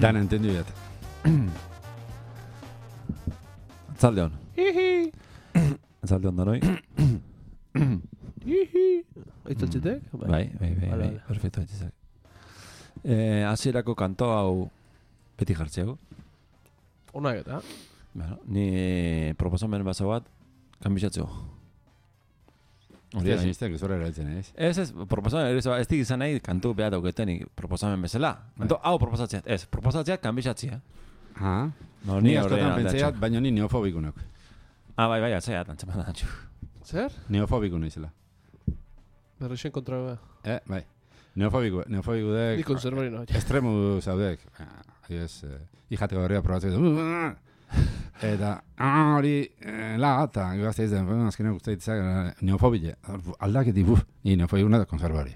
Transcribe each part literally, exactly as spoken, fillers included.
Dan entendu dut. Atzalde hon. Atzalde hon danoi. Aitzatzetek? Bai, bai, bai, bai, perfecto aitzak. Eh, hasierako kanto hau beti jartzeko. Onak eta. Bueno, ni proposamen baso bat kanbizatzeko. Hostia, sinistek, ez horre erabiltzen, ez? Ez, ez, proposamen, ez, ez dik izan nahi kantu behar dauketenik proposamen bezala. Kanto, hau proposatzea, ez, proposatzea kanbizatzea. Ah, No, ni ni askotan horrean pentseiat, baina ni neofobikunok. Ah, bai, bai, atzea, tantzeman da, txu. Zer? Neofobikun izela. Berrexen kontra bea. Eh, bai. Neofobiku, neofobiku dek... Ni konservari no. Estremu zaudek. Adibes, hijateko berria probatzeko. Eta, hori, la, eta gazte izan, azkenean guztaitzak, neofobile. Aldaketi, buf, ni neofobikuna da konservari.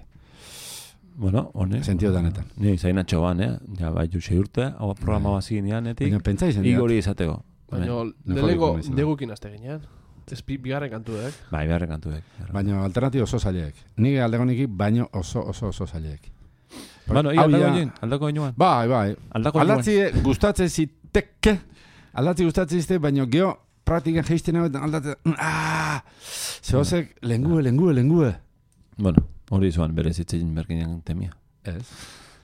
Bueno, hone. Sentio danetan. Ni zainatxo ban, eh? Ja, bai, juxe urte, hau programa bazin ianetik. Baina pentsa izan dira. Igori izateko. Baina, lehenengo negukin azte ginean. Ez bigarren kantuek. Bai, bigarren kantuek. Baina alternatibo oso zailek. Nire aldegoniki baino oso oso oso zailek. Bueno, ia aldako inoen, aldako inoen. Bai, bai. Aldako inoen. Aldatzi gustatzen ziteke. Aldatzi gustatzen zite, baina geho praktikan geizten hau eta aldatzen. Ah! Zehozek, lengue, lengue, lengue. Bueno, hori zuan bere zitzen berkinean temia. Ez.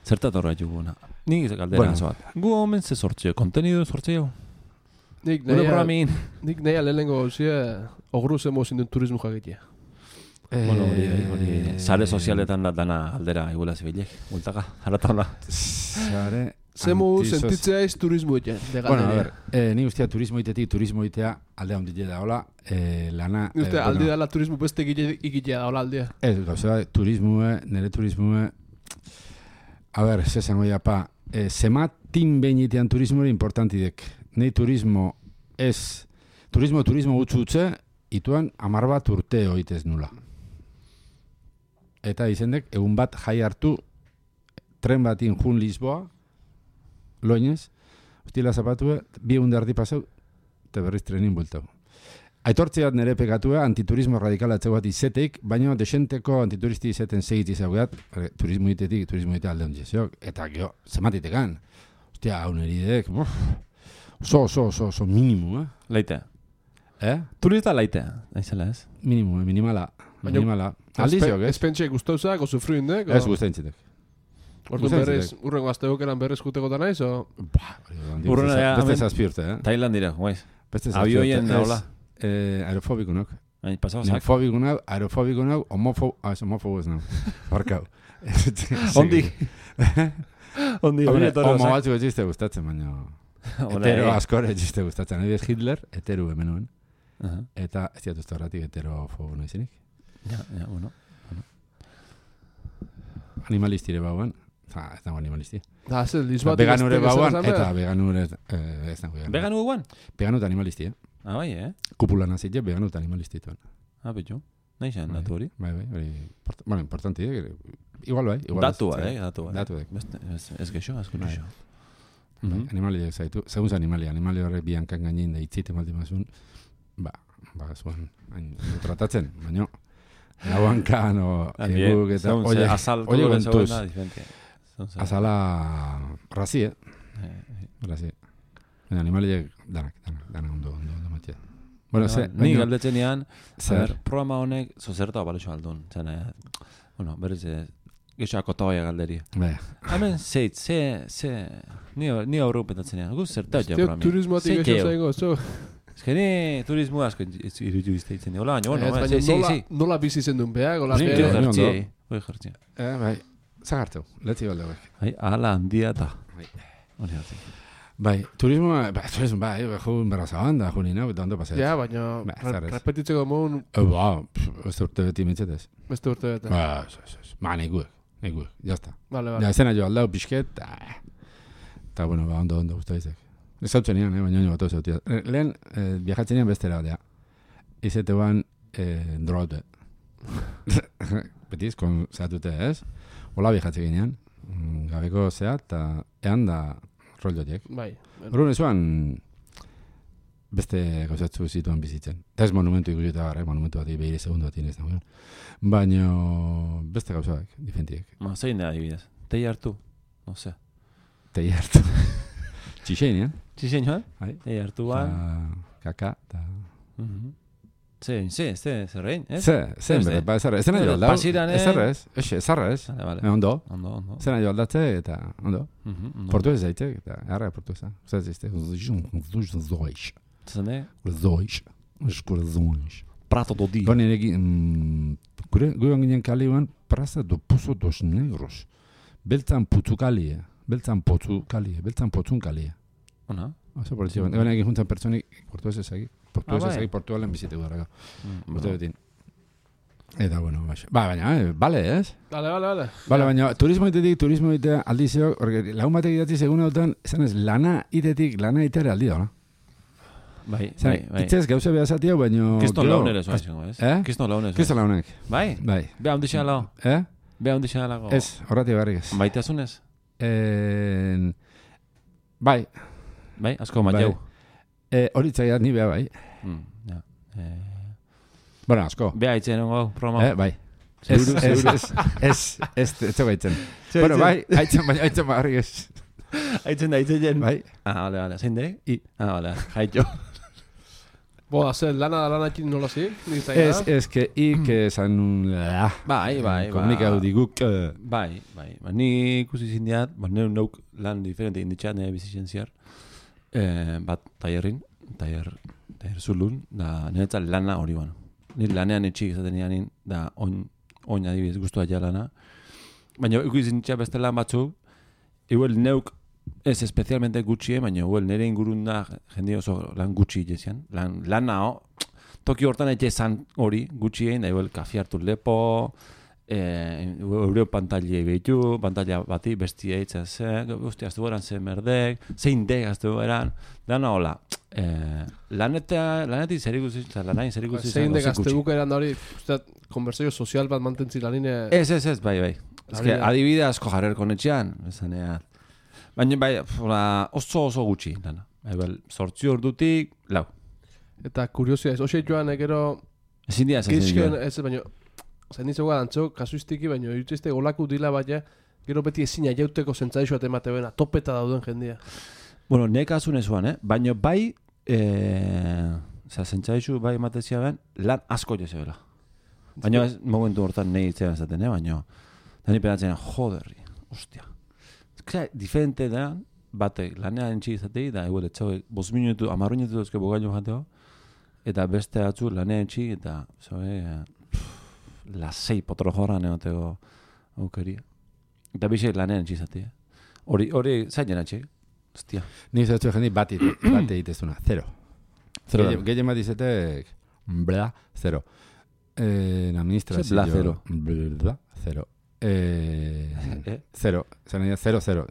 Zertat horra juguna. Nik galdera Bueno. zoat. Gu homen ze sortzeo, kontenido sortzeo. Nik Gure nahi programin. Nik nahi lehenengo gauzia ogru zemo zinduen turismo jakitea. Bueno, hori, hori, sare sozialetan da dana aldera igula zibilek. Multaka, haratauna. Sare... Zemo antisos- sentitzea ez turismo iten. Bueno, a ver, eh, ni guztia turismo itetik, turismo itea alde handile da, hola, eh, lana... Ni uste, eh, aldi bueno, dala turismo beste ikitea da, hola aldea. Ez, gauza, turismoe, nire turismoe... A ver, ze zango ya, pa, eh, zematin behin itean turismoe importantidek. Nei turismo ez... Turismo, turismo gutxu utze, ituan amar bat urte oitez nula. Eta izendek, egun bat jai hartu, tren batin jun Lisboa, loinez, hostila zapatue, bi egun dardi pasau, eta berriz trenin bueltau. Aitortzeat nire pekatua, antiturismo radikala atzeu bat izeteik, baina desenteko antituristi izeten segit izaugeat, turismo itetik, turismo ite alde hondiziok, eta geho, zematitekan. Hostia, hau neridek, oso, oso, oso, oso minimu, eh? Laite. Eh? Turista laite, naizela ez? Minimu, eh? Minimala. Baina- Minimala. Aldiziok, ez? Ez pentsa guztauzak, o sufruindek? Ez guztaintzitek. Orduan Gustatzen berrez, zait. urrengo asteokeran berrez juteko da naiz, o... Urruna ja, Beste hemen- zazpi urte, eh? Tailandira, guaiz. Beste zazpi Avioien urte. hola. Ez, eh, aerofobikunok. Hain pasau zak. Neofobikunok, aerofobikunok, homofob... Ah, ez homofobo ez nau. Barkau. Ondi. Ondi, Hombre, hori etorra homo zak. batzuk etxiste gustatzen, baina... Hola, Hetero eh. askore etxiste gustatzen. Adibidez Hitler, hetero hemenuen. Aha. Eta ez diatu ez horretik heterofobo naizenik. Ja, ja, bueno. Animalistire bauan. Ah, ez dago animalisti. Da, ze, Lisboa... Veganure bauan, eta veganure... Eh, ez dago vegan. Veganu guan? Veganu eta animalisti, eh? Ah, bai, eh? Kupula nazite, veganu eta animalisti tuan. Ah, betxo. Naixan, datu hori. Bai, bai, hori... import- Bueno, importanti, eh? Igual bai. Igual Datu, ez- eh? Datu, eh? Datu, eh? Beste, ez, ez geixo, azko Bai. geixo. Bai, animaliak zaitu. Segun animalia, animali horrek biankan gainin da itzite maldi mazun, ba, ba, zuen, hain, tratatzen, baina, lauankan, o, eguk, eta, oie, azalko oie gure gentuz, zegoena diferente. Zonze. azala, razi, eh? Eh, Razi. Baina animaliak, danak, danak, danak ondo, ondo, ondo matia. Bueno, ze, Ni baina- galdetzen ean, Zer? programa honek zozerta balexo aldun. Zena, bueno, berez, geixo akotoia galderia. Bai, Hemen zeit, ze, ze, ni, ni aurreu petatzen ean, guz zerta ja Tio, programi. turismoatik eixo zaigo, zo... Ez que ni turismo asko irutu izteitzen dira. Hola, baina, bueno, Ez, bueno, baina sí, sí, nola, sí. nola bizi zendun beak, gola Ni- Goi beak. Ni ondo. jartziei, goi jartziei. eh, bai, zagartu, letzi balde bai. Ai, ala handia da. Bai. Hori hartzik. Bai, turismoa, ba, turismo, bai, jun berra zabanda, juni nau, eta ondo pasea. Ja, baina Ba, re- zarez. repetitzeko moun Eh, ba, pff, ez urte beti mitzetez. beste urte bete. Ba, ez, ez, ez. Ba, nikuek, nikuek, jazta. Vale, Ja, vale. esena jo aldau pixket, eta, bueno, ba, ondo, ondo, usta izek. Ez hau txenian, eh, baina nio batu zautia. Lehen, eh, viajatzen ean bestera, dea. Izete ban, eh, drogaute. Betiz, kon zehatute ez. Ola viajatzen ginean, mm, gabeko zea, eta ean da rollotiek. Bai. Horren ezuan, beste gauzatzu zituen bizitzen. Eta ez monumentu ikusi eta gara, eh? Monumentu bat behire segundu bat inez dagoen. Baina beste gauzak, diferentiek. Ma, zein da adibidez? Tei hartu? No sé. tei hartu. Txixein, eh? Txixein, joan? Bai. Tei hartuan. Kaka, eta... Ze, ze, ze, zerrein, ez? Ze, ze, bere, ba, ezarra, ez nahi aldau. Pasiran, eh? Ezarra ez, ez, ezarra ez. Vale, vale. E, ondo. Ondo, ondo. Zer nahi aldatze eta, ondo. Portu Portuez zaitek, eta harra portueza. Zer zizte, zoiz. Zene? Zoiz. Eskura zoiz. Prato do di. Gone egin, gure, gure ginen kaleuan, Praza do Pozo dos Negros. Beltzan putu kalie, beltzan potu kalie, beltzan potun kalie. Ona? Oso polizia, gone egin juntan pertsonik, portuez ezagik. Portuez Ah, bai. ezagik, portualen bizitegu dara. Mm, Bote betin. Eta, bueno, baix. Ba, baina, eh, bale, ez? Vale, vale, vale. Bale, baina, turismo itetik, turismo itea aldizio, porque lagun batek idatzi segun hautan, esan ez, lana itetik, lana iteare aldi da, no? Bai, bai, bai. Itzez gauza behazatia, baina... Kiston launer ez, baizango, ez? Eh? Kiston launer ez. Kiston launek. Bai? Bai. Beha ondixea lau. Eh? Beha ondixea lago. Ez, horrati barrik ez. Maitasunez? En... Bai. Bai, asko mateu. Eh, Horitzaiat ni beha bai. Mm, ja. Eh... Bueno, asko. Beha itzen ongo, promo. Eh, bai. Ez, ez, ez, ez, ez, ez, ez, baitzen. Bueno, bai, haitzen, baina haitzen barrik ez. Haitzen da, haitzen jen. Bai. Ah, vale, vale. Zein dek? I. Ah, vale, haitxo. Bo, hacer lana da lana ekin nola zi? Ez, ez, que ik esan un... Bai, bai, bai. Komunikau diguk... eh, Bai, bai. Ba, ni ikusi zindiat, ba, neu nauk lan diferente inditxat nire bizitzen ziar. Eh, bat, taierrin, taier, taier zulun, da niretzat lana hori bano. Nire lanean etxik izaten nianin, da oin, oin adibidez guztua ja lana. Baina ikusi zinditzat beste lan batzuk, igual neuk ez especialmente gutxi, baina igual nire ingurun da jende oso lan gutxi jezian. Lan, lana, oh, toki hortan etxe zan hori gutxi egin, da igual kafi hartu lepo, eh, eureo pantailei behitu, pantaila bati besti eitzen zen, uste, aztu goran zen merdek, zein dek aztu goran, dana hola. Eh, laneta, lanetik zer ikusi, lanain zer ikusi. Zein dek azte bukeran da hori, uste, konversazio sozial bat mantentzi lanine... Ez, ez, ez, bai, bai. Ez que adibide asko jarrer konetxean, esanean. Baina bai, hola, oso oso gutxi, lana. Bai, sortzi ordutik, lau. Eta kuriosia ez, hoxe joan egero... Ezin dia esatzen Gizken, joan. ez, baina... Zain ditzeko dantzo, kasuistiki, baina jutzeizte olaku dila baina, gero beti ezina jauteko zentzadixo atemate bena, topeta dauden jendia. Bueno, nek asun ezuan, eh? Baina bai, eh, oza, zentzadixo bai ematezia ben, lan asko jezebela. Baina ez momentu hortan nahi itzean ezaten, eh? Baina, da ni penatzen, joderri, ostia. Eza, diferente da, bate, lanean entxik izatei, da, eguel, etxau, bos minutu, amarru minutu dozke bogaino jateo, eta beste atzu lanean entxik, eta, zoe, lasei potro jorran egoteko aukeria. Eta bisek lanean entxik izatei, eh? Hori, hori, zainen atxik, ostia. Ni zaitu jendi bat egitezuna, zero. Zero. Gehien bat izatek, bla, zero. Eh, la ministra... Ze bla, zero. Bla, zero. Eh, Eh? Zero, zero, zero, zero.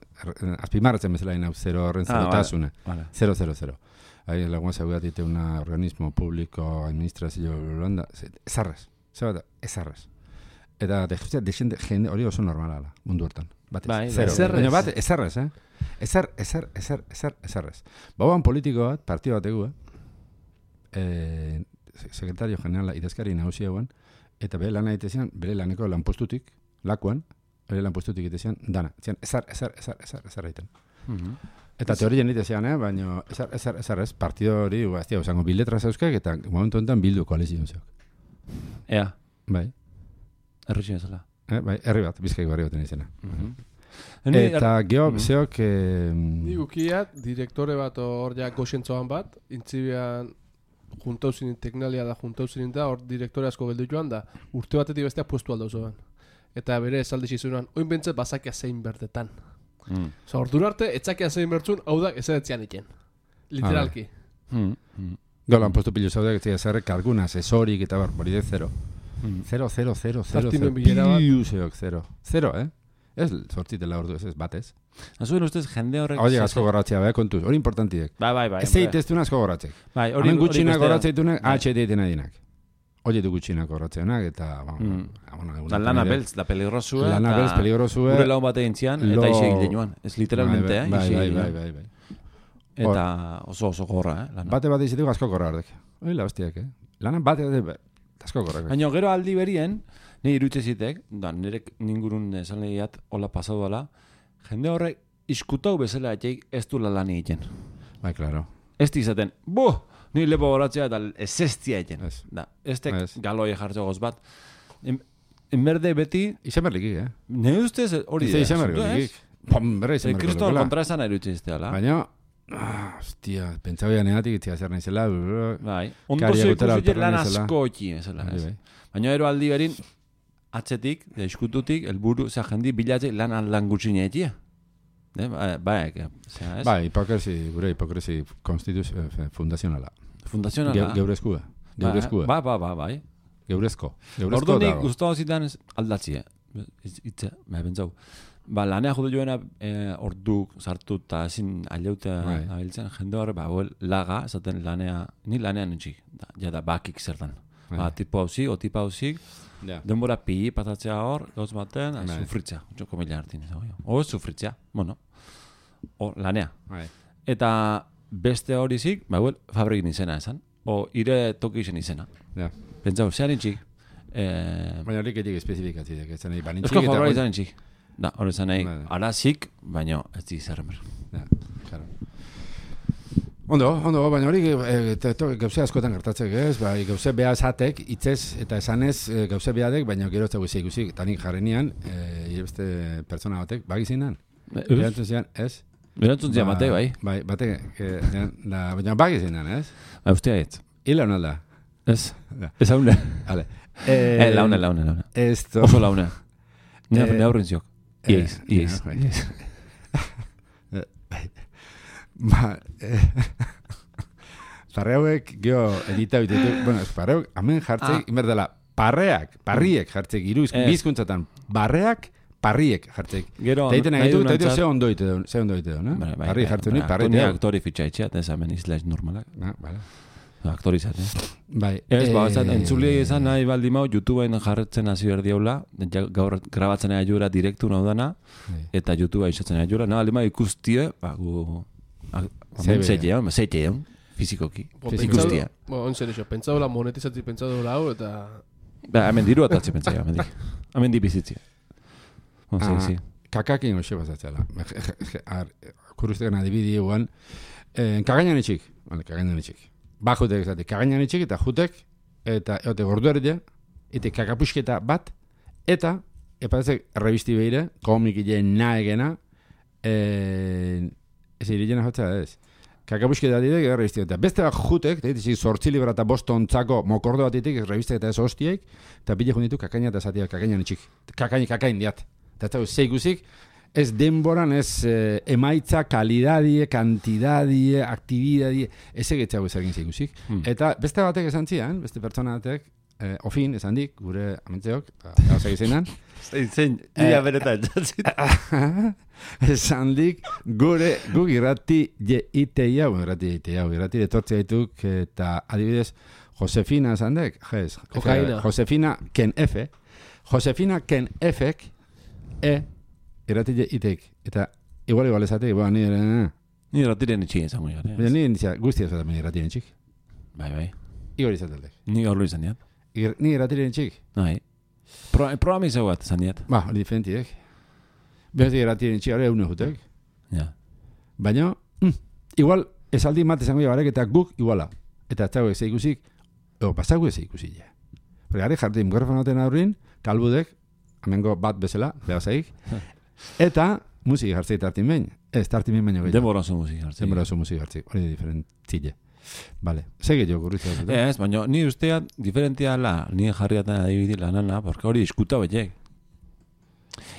Azpimarratzen bezala inau, zero horren zerotasuna. Vale. Zero, zero, zero. Ahí lagun seguratite una organismo público, administrazio, Holanda, ezarrez. Zer bat, ezarrez. Eta dejuzia, desende, jende hori oso normala da, mundu hortan. Batez, Bai, zero. ezarrez. Baina bat, ezarrez, eh? Ezar, ezar, ezar, ezar, ezarrez. Bauan politiko bat, partio bategu, eh? eh sekretario generala idazkari nagusia guen, eta bere lana egitezian, bere laneko lanpostutik, lakuan, bere lanpostutik egitezian, dana. Zian, ezar, ezar, ezar, ezar, ezar egiten. Eta teorien egitezian, eh? Baina ezar, ezar, ezar ez, partido hori, baztia, osango biletra zauzkak, eta momentu honetan bildu koalizio zeok. Ea, Bai, erritxin ezala. eh? Bai, herri bat, bizkaik barri baten izena. Ni- Eta geho, Mhm. zeok... Eh, Ni gukiat, direktore bat hor ja goxentzoan bat, intzibian juntau zinin teknalia da juntau zinin da, hor direktore asko geldu joan da, urte batetik bestea puestu aldo zoan. Eta bere esaldi zizunan, oin bentzat bazakia zein berdetan. Mm. Osa, ordura arte, etzakia zein bertzun, hau da, ezaretzean iken. Literalki. Mm. Mm. Gau lanpostu pilu zaudeak, ez zerrek kalguna, asesorik eta bar, hori de zero. Mm. Zero, zero, zero, zero, Zazpimen zero, bilera bat. piu zeok, zero. Zero, eh? Ez sortzitela ordu, ez ez batez. Azuen ustez jende horrek... Hori zase- asko gorratzea, bai, kontuz, hori importantiek. Bai, bai, bai. Ez hombre. zeiteztuna asko gorratzek. Bai, hori... Hemen hori gutxinak bestea. gorratzeitunak, Bai. H D egiten adinak. Hori du gutxinak gorratzeanak, eta... Ba, Mm. ah, bueno, egun Da lana beltz, da peligrosua. Lana eta beltz, peligrosua. Gure laun bat egin zian, Lo- eta ise egin joan. Ez literalmente, eh? Bai, ise bai, egin bai, joan. bai, bai. Eta oso oso gorra, eh? Lana. Bate bat izatik asko gorra ardek. Hori la hostiak, eh? Lana bate bat asko gorra. Baina gero aldi berien, nire irutze zitek, da nire ningurun esan lehiat, hola pasau dela, jende horrek iskutau bezala etxeik ez du lan egiten. Bai, claro. Ez izaten, bo, ni lepo horatzea eta ez eztia egiten. Ez. Da, ez tek Ez. galoi jartzo goz bat. En, enberde beti, Izen berlikik, eh? ne ustez hori Izen izen berlikik. Pom, berra izen berlikik. Kriston kontra esan erutxe izteala. Baina, ah, hostia, pentsau janeatik itzia zer naizela. Bai, ondo Karia ze gutera ikusi lan alperra asko eki, ezela. Bai, Ez. bai. Baina ero aldi berin, atzetik, da iskututik, elburu, zera jendi bilatze lan aldan gutxine etia. Eh, ba, ba, eke, zera, ez? Bai, hipokresi, gure hipokresi konstituz, eh, fundazionala. Fundazionala. Ge, geurezkua. Geurezkua. Ba, ba, ba, bai. Geurezko. Geurezko Ordu nik dago. guztua zidan aldatzie. Itza, ba, bentzau. Ba, lanea judu joena eh, ordu sartu eta ezin aleutea Bai. abiltzen, jende hor, ba, well, laga, esaten lanea, ni lanean nintxik, da, ja da bakik zertan. Bai. Ba, tipo hauzik, o tipo hauzik, Ja. denbora pili patatzea hor, gauz baten, Bai. sufritzea, joko mila hartin. O, sufritzea, bueno, o, lanea. Bai. Eta beste hori zik, ba, well, fabrikin izena esan, o, ire toki izen izena. Ja. Pentsau, zean nintxik, eh, Baina horiek etik espezifikatzidek, ez zenei banintxik Eusko eta... Jaurlaritza nintxik. Da, hori zen nahi, Bai. arazik, baina ez di zerremer. Ja, claro. Ondo, ondo, baina hori e, gauze askotan gertatzek, ez? Bai, gauze beha esatek, itzez eta esanez e, gauze behadek, baina gero ez dago izan ikusi, eta nik jarrenian, e, beste pertsona batek, bagizinan? Erantzun zian, ez? Berantzun zian bate, bai. Bai, bate, e, da, baina bagizinan, ez? Ba, ustea ez. Hila honalda. Ez. Ja. Ez haune. Vale. Eh, laune, laune, laune. Esto... Oso laune. Nire Eh, ne aurrin ziok. Iez, eh, iez. ja, bai. Ba, eh, parreuek geho edita bitetu, bueno, parreuk, hemen jartzeik, Ah. inberdela, parreak, parriek jartzeik, iru Ez. bizkuntzatan, barreak, parriek jartzeik. Gero, Eta egiten nahi egitu, du eta egiten nantzat- ze ondo ite duen, ze ondo ite duen, Bai, eh? bai, Parri bai, jartzen bai, dut, parri Ni teo. aktori fitxaitxea, eta ez hemen izlaiz normalak. Ah, vale. Aktorizat, eh? Bai. Ez, ba, eh, ez, entzuli izan nahi baldi mau, YouTubeen jarretzen hasi berdi haula, ja, gaur grabatzen nahi jura direktu naudana, Bai. eta YouTubea izatzen nahi jura, nahi baldi mau ikustie, ba, gu... Zebe. Zeitean, zeitean, fizikoki, Bo, ikustia. pentsado- Bo, en serio, pentsado la monetizatzi pentsado hau eta... Ba, hemen diru atatzi pentsaia, hemen di. Hemen di bizitzia. Oh, Ah, sí, sí. Kakakin hoxe bazatzela. Kuruztekan adibidi guan. Eh, kagainan itxik. Vale, kagainan itxik. Ba jutek ezate, kagainan itxik eta jutek, eta eote gordu erdea, eta kakapusketa bat, eta, epatzek, revisti behire, komik iten nahi gena, eh, ez iritena jotzea ez. Kakapusketa ditek, eta revisti eta beste bat jutek, eta ditik, sortzi libra eta bost ontzako mokordo bat ditik, revistek eta ez hostiek, eta bile junditu kakaina eta esatia, kakainan itxik. Kakain, kakain diat. Eta ez dago, zeikusik, ez denboran, ez eh, emaitza, kalidadie, kantidadie, aktibidadie, ez egetzago ezagin zeikusik. Hmm. Eta beste batek esan zian, beste pertsona batek, eh, ofin, esan dik, gure amentzeok, gauzak izenan, Zein, zein, ia beretan jatzit. esan dik, gure, guk irrati je iteia, bueno, irrati iteia, irrati detortzea dituk, eta adibidez, Josefina esan dek, jez, Kokaina. Josefina Ken F, Josefina Ken Fek, e, irrati je itek, eta igual igual esatek, boa, ni ere, Ni ratiren itxin izango gara. baina ni indizia, guztia esaten irratiren txik, Bai, bai. igor izateldek. Ni gaur izan diat. Ir- Ni irratiren txik, Bai. Pro, programi zeu bat izan diat. ba, hori diferentiek. Beste irratiren txik, hori egun jutek. Ja. Baina, mm, igual, esaldi mat esango jabarek eta guk iguala. Eta ez dago ez ikusik, o, pasago ez ikusi ja. Porque gari jartu mikrofonaten aurrin, kalbudek, amengo bat bezala, behazaik, eta musiki jartzei tartin behin. Ez, tartin behin baino gehiago. Denbora oso musik hartzen. Denbora oso musiki jartzei, hori da diferentzile. Vale, sege jo gurritza dut. Ez, baina ni usteat diferentia la, ni jarriatan adibidi lanana, porque hori iskuta betiek.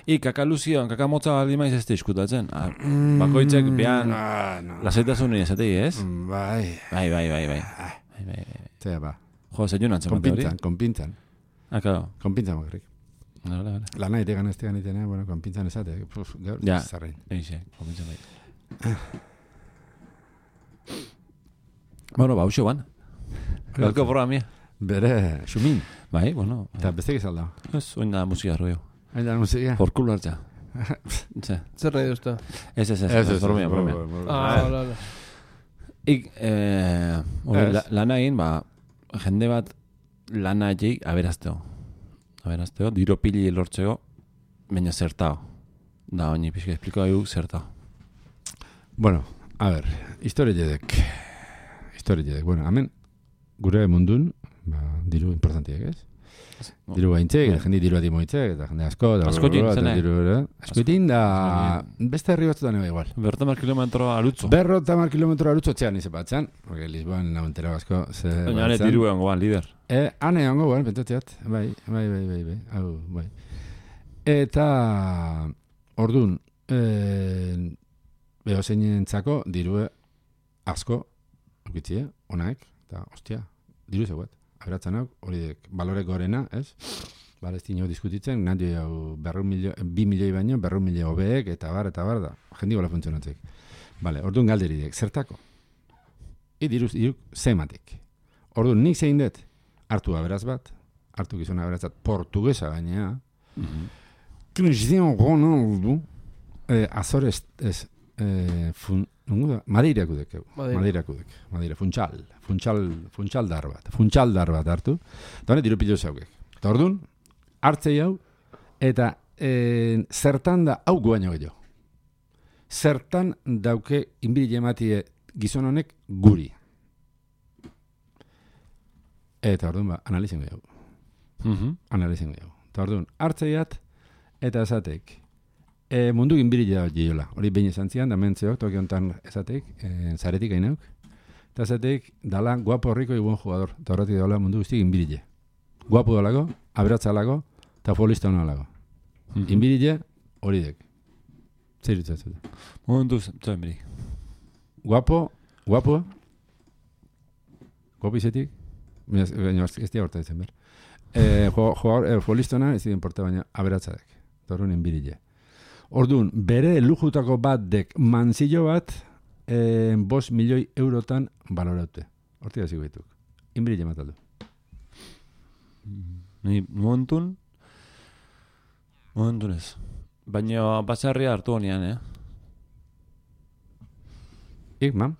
I kakaluzioan, kakamotza baldi maiz ez da iskutatzen. Ah, bakoitzek behan Ah, no. lasaitasun esatei, ez? Mm, Bai, Bai, bai, bai, bai. Bai, bai, bai. zera ba. Jo, zeion antzen bate hori. Konpintzan, konpintzan. Ah, claro. Konpintzan bakarrik. Vale, vale. Lana itegan ez tegan itena, bueno, konpintzan esate. Puf, gaur, Ja. zarrein. Eixe, komentzen bai. Bueno, ba, uxo ban. Galko programia. Bere, xumin. Bai, bueno. Eta beste gizalda. Ez, oin da musika roio. Hain da musika. Por culo hartza. Ze. Zer nahi duzta? Ez, ez, ez. Ez, ez, Bromia, ez, bromia. bo- bo- bo- Ah, hola, hola. Ik, eh, hori, Ez. la, lana egin, ba, jende bat lana egin aberazteo. Aberazteo, diro pili lortzeo, baina zertao. Da, oini pixka espliko dugu zertao. Bueno, a ber, historia jedek. Historia jedek. Bueno, hemen, gure mundun, ba, diru importantiak, ez? No. Diru gaintzek, eta jende diru ati moitzek, eta jende asko, da, Askotin, eta zene? diru, askotin, da, beste herri batzutan eba igual. Bertamar kilometro arutzo. Berrota mar kilometro arutzo txean ize batzan, porque Lisboan nahuntera asko, ze Baina ane diru egon goan, lider. E, ane egon goan, pentsatzeat, bai, bai, bai, bai, bai, hau, bai. Eta, ordun, eh, beho zeinentzako dirue asko, ukitzie, onaek, eta, ostia, diru zeuet. Aberatzen hau, hori dek, balore gorena, ez? Balestin hau diskutitzen, nahi hau berrun milio, bi milioi baino, berrun milio hobeek, eta bar, eta bar da. Jendi gola funtzionatzek. Bale, orduan galderi dek, zertako? I diruz, diruk, zematik. Orduan, nik zein dut, hartu aberaz bat, hartu gizona aberaz bat, portugesa gainea, Cristiano Ronaldo, eh, Azores, ez, eh, fun, nungu da? Madeirako dek, Madeirako dek, Madeira, funtsal, funtsal, funtsaldar bat, funtsaldar bat hartu, eta honet diru pilo zaukek. Eta orduan, hartzei hau, eta e, zertan da hau guaino gehiago. Zertan dauke inbiri ematie gizon honek guri. Eta orduan ba, analizien gehiago. Mhm. Analizien gehiago. Eta orduan, hartzeiat, eta esatek, e, mundu inbiri gehiagola. Hori behin esan zian, da mentzeok, toki honetan esatek, e, zaretik gainauk. Eta esatek, dala guapo horriko ibuen jugador. Eta horretik dala mundu guztik inbiri. Guapo dalago, aberatzalago, eta futbolista hona lago. Mm-hmm. Inbirille, hori dek. Zer ditzatzen. Momentu, zuen beri. Guapo, guapo, guapo izetik, baina ez dira horta ditzen ber. Eh, futbolista hona ez dira importa, baina aberatzadek. Torun inbirille. Orduan, bere lujutako bat dek manzillo bat, eh, bost milioi eurotan baloraute. Hortik da ziguetuk. Inbirille mataldu. Ni momentun, momentun ez. Baina basarria hartu honean, eh? Ik, mam?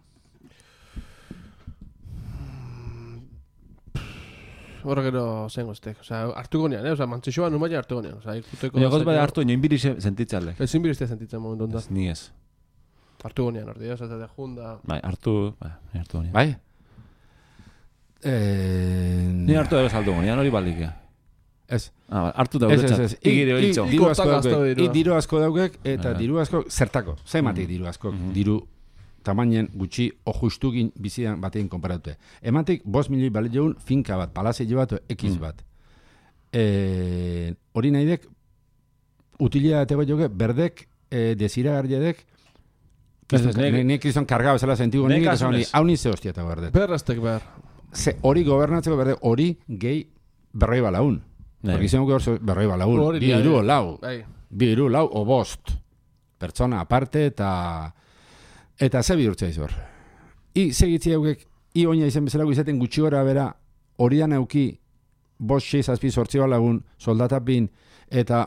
Horra gero zengo estek. Osa, hartu gonean, eh? Osa, mantzixoa numaia hartu gonean. Osa, ikuteko... Baina goz bada hartu, nioin biri sentitzale. Ezin birizte sentitzen momentu da. Ez, ni ez. Hartu gonean, ordi, osa, eta junda... Bai, hartu, bai, hartu honean. Bai? Eh... Ni hartu dago saldu honean, hori baldikea. Ez. Ah, hartu dago Ez, ez, txat. ez. Igire beltzo. Diru asko Ikotaka asko daukek. dirua. I diru asko daukek, eta Bai. diru asko, zertako. Zematik diru asko. Diru tamainen gutxi o justukin bizian batein konparatute. Ematik, bost milioi bale joun finka bat, palazio bat, ekiz bat. Eh, hori nahi dek, utilea eta bat joke, berdek, eh, desiragarriadek, Ez, ez, nek- nik izan kargao esala sentigu nek nik, eta honi, asunez. hau nizte hostia eta berdet. Berraztek behar. Ze hori gobernatzeko berde, hori gehi berroi balaun. Bai. Porque izan gure berroi balaun. Hori Bi bai. iru o lau. Bai. Bi iru lau o bost. Pertsona aparte eta eta ze bihurtzea izor. I segitzi haukek, i oina izan bezalako izaten gutxi gora bera, horian auki bost, sei, zazpi, sortzi balagun, soldatapin, eta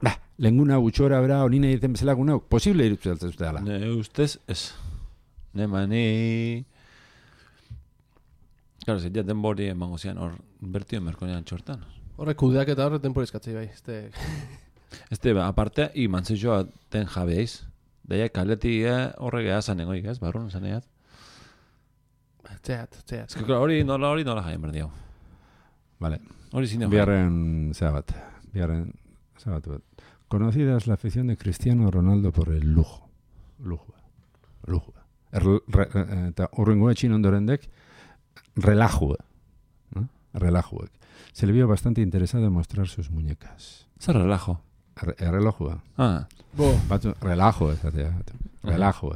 bah, lenguna gutxi gora bera, hori nahi irten bezalako nauk, posible irutzea zute dela. Ne ustez, ez. Ne mani... Claro, ez jaten bori emango zian, hor, bertio merkonean txortan. Horrek kudeak eta horre temporizkatzei bai. Este... Este, ba, aparte, i mantzioa ten jabeiz. Daia kaleti horrek ea zanegoik, ez? Barrun zaneat. Txeat, txeat. Ez que, claro, hori nola hori nola jaien berdiau. Vale. Hori zine jaien. Biarren zea bat. Biarren zea bat. bat. Conocida es la afición de Cristiano Ronaldo por el lujo. Lujo. Lujo. Er, re, eta horrengo etxin ondorendek, relajue. ¿No? Relajuek. Se le vio bastante interesado en mostrar sus muñecas. Zer relajo. Re, relojue. Ah, Bo, Batzu, relajo, esatea. Relajo.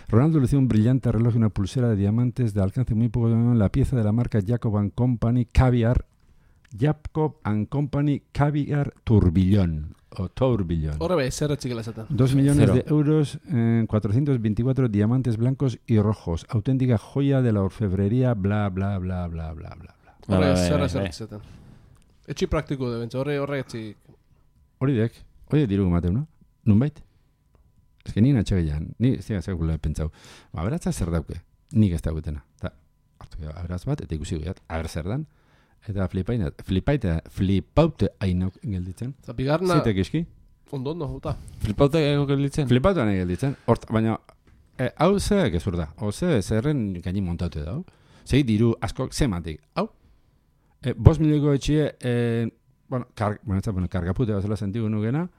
Ronaldo lució un brillante reloj y una pulsera de diamantes de alcance muy poco en la pieza de la marca Jacob and Company Caviar. Jacob and Company Caviar Turbillón. O Tourbillón. horre bai, zer etxikela esaten. Dos millones Cero. de euros en cuatrocientos veinticuatro diamantes blancos y rojos. Auténtica joya de la orfebrería, bla, bla, bla, bla, bla, bla. bla. Horre Bai, bai, zer bai, zer bai. esaten. Etxi praktiko de bentsa, horre horre etxi... Hori dek, hori diru mateu, no? Nunbait? Ez que nien atxegeian, ni ez dira zekula pentsau. Ba, aberatza zer dauke, nik ez dauketena. Ta, hartu gara aberatz bat, eta ikusi goiat, aber zer dan, eta flipaina, flipaita, flipaute hainauk gelditzen. Eta bigarna, Zeitek iski? ondo ondo, uta. flipauta ego gelditzen. Flipauta nahi gelditzen. Hort, baina, E, hau ze gezur da, hau ze zerren gaini montatu da, zei diru askok zematik, hau, e, bost milioiko etxie, e, bueno, kar, bueno, ez da, bueno, kargapute bazela sentigu nugena,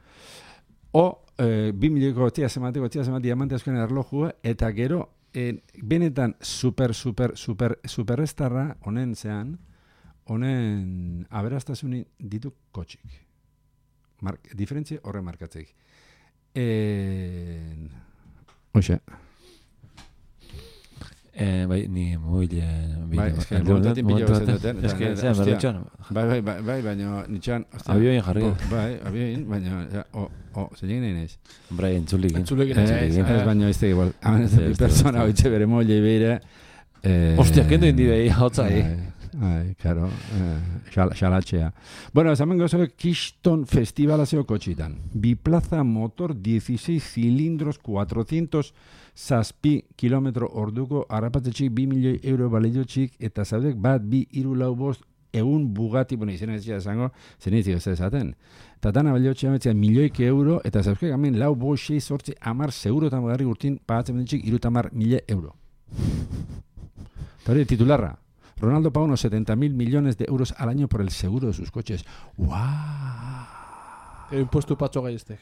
o, e, bi milioiko tia zematik, tia zematik diamante askoen erlojua, eta gero, e, benetan super, super, super, superestarra, honen zean, honen aberastasunin ditu kotxik. Mark, diferentzia horre markatzeik. E, Oixe. Eh, bai, ni mobile... Bai, es que momentatik pilo bezen duten. Es que, zera, berretxoan. Bai, bai, bai, bai, baina nitxoan... Abioin jarri. Bai, abioin, baina... O, o, zein nahi naiz? Bai, entzulik. Entzulik. Ez, baina ez da igual. Hamen ez da persona hoitxe bere mole beire... Ostia, kendo indi behi, hau zai. Ai, claro, eh, xalatxea. Bueno, esamen gozo Keystone Festivala zeo kotxitan. Biplaza motor dieciséis cilindros cuatrocientos zazpi kilometro orduko harrapatzetxik bi milioi euro balediotxik eta zaudek bat bi iru lau bost egun Bugatti, bueno, izena ez esango, zen ez ez ezaten. Eta dana balediotxik ametzea milioik euro eta zauzkek amen lau bost sei sortzi amar seguro eta magarri urtin pagatzen benetxik iru tamar mila euro. Eta hori titularra. Ronaldo paga unos setenta mil millones de euros al año por el seguro de sus coches. ¡Guau! El impuesto patxo gaiestek.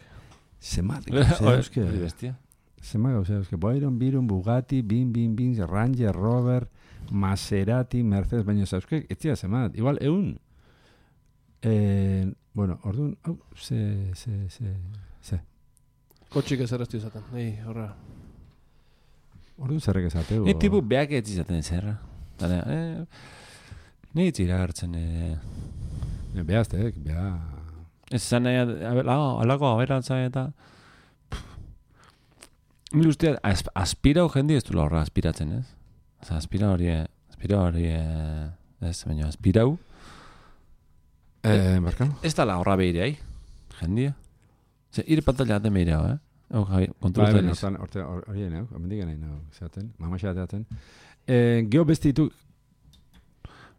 Zemat, Hori bestia. Zemat, o sea, es que Byron, Byron, Bugatti, Bin, Bin, Bin, Ranger, Rover, Maserati, Mercedes, baina zauzkek, etzia zemat. Igual, egun. Eh, bueno, orduan, oh, ze, ze, ze, ze. Kotxik ez errezti izaten, nahi, horra. Orduan zerrek ezateu. Ni tipu beak ez izaten zerra. Dane, eh, ni itzira hartzen, eh. Behaztek, beha... Ez zan nahi, alako aberantza eta... Mil usteat, aspirau jendi ez du horra aspiratzen, ez? Oza, aspira hori, aspira hori, ez, baina aspirau... Eh, barkano? Ez da la horra behirei, jendia. Zer, ir pantalla aten behireu, eh? Hau, Javi, kontrolten ez. Bai, horte hori nahi, amendik nahi nahi, zaten, mama xateaten. Eh, Geo bestitu...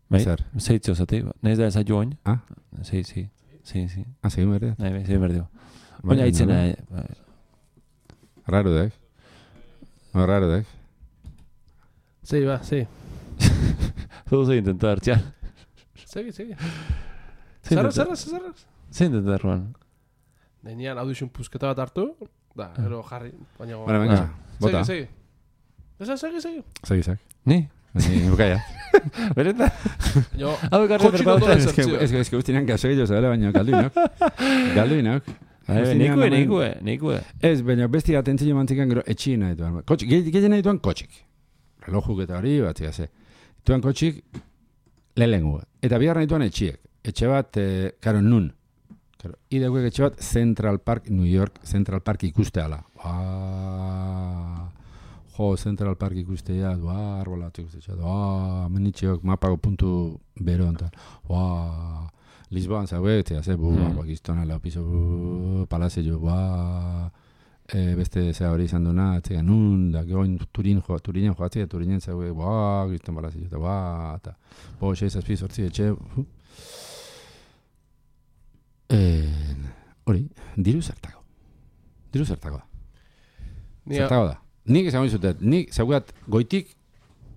Bai, Zer? zeitzio zati, nahiz da ez joan. Ah? Zei, zei, zei, zei. Ah, segin berde? Nahi, bai, zei berdeo. Baina hitzena... Raro dek. No, raro dek. Zei, ba, zei. Todo zei intentar, txan. Segi, segi. Zerra, zerra, zerra. Zei intentar, Juan. Nenean audition pusketa bat hartu, da, ero jarri, baina... Bueno, venga, bota. Segi, segi. Eza, segi, segi. Segi, segi. Ni? Ni, bukaia. Bereta? Jo, Hau Es que, es que, es que guztinan kaso egiteko zabela, baina galduinok. Galduinok. Nikue, nikue, nikue. Ez, baina besti atentzio mantzikan gero etxi nahi duan. Kotxik, gehien nahi duan kotxik. Relojuk eta hori, bat zigase. Duan kotxik, lehengu. Eta bihar nahi duan etxiek. Etxe bat, eh, karo, nun. Karo, ideuek etxe bat Central Park, New York, Central Park ikusteala. Ba... Jo, Central Park ikustea, doa, arbolatu ikustea, doa, menitxeok, mapago puntu bero onta. Ba... Lisboan zaue, eta ze, bu, mm. bakiztona, lau piso, bu, palazio, ba... E, beste zea hori izan duna, etzea, nun, da, goin turin joa, turinen joatzea, turinen zaue, ba, gizton palazio, eta, ba, eta, bo, xe, zazpi, sortzi, etxe, uh. E, hori, diru zertako. Diru zertako da. Zertako da. Nik esan zutet, nik zaugat goitik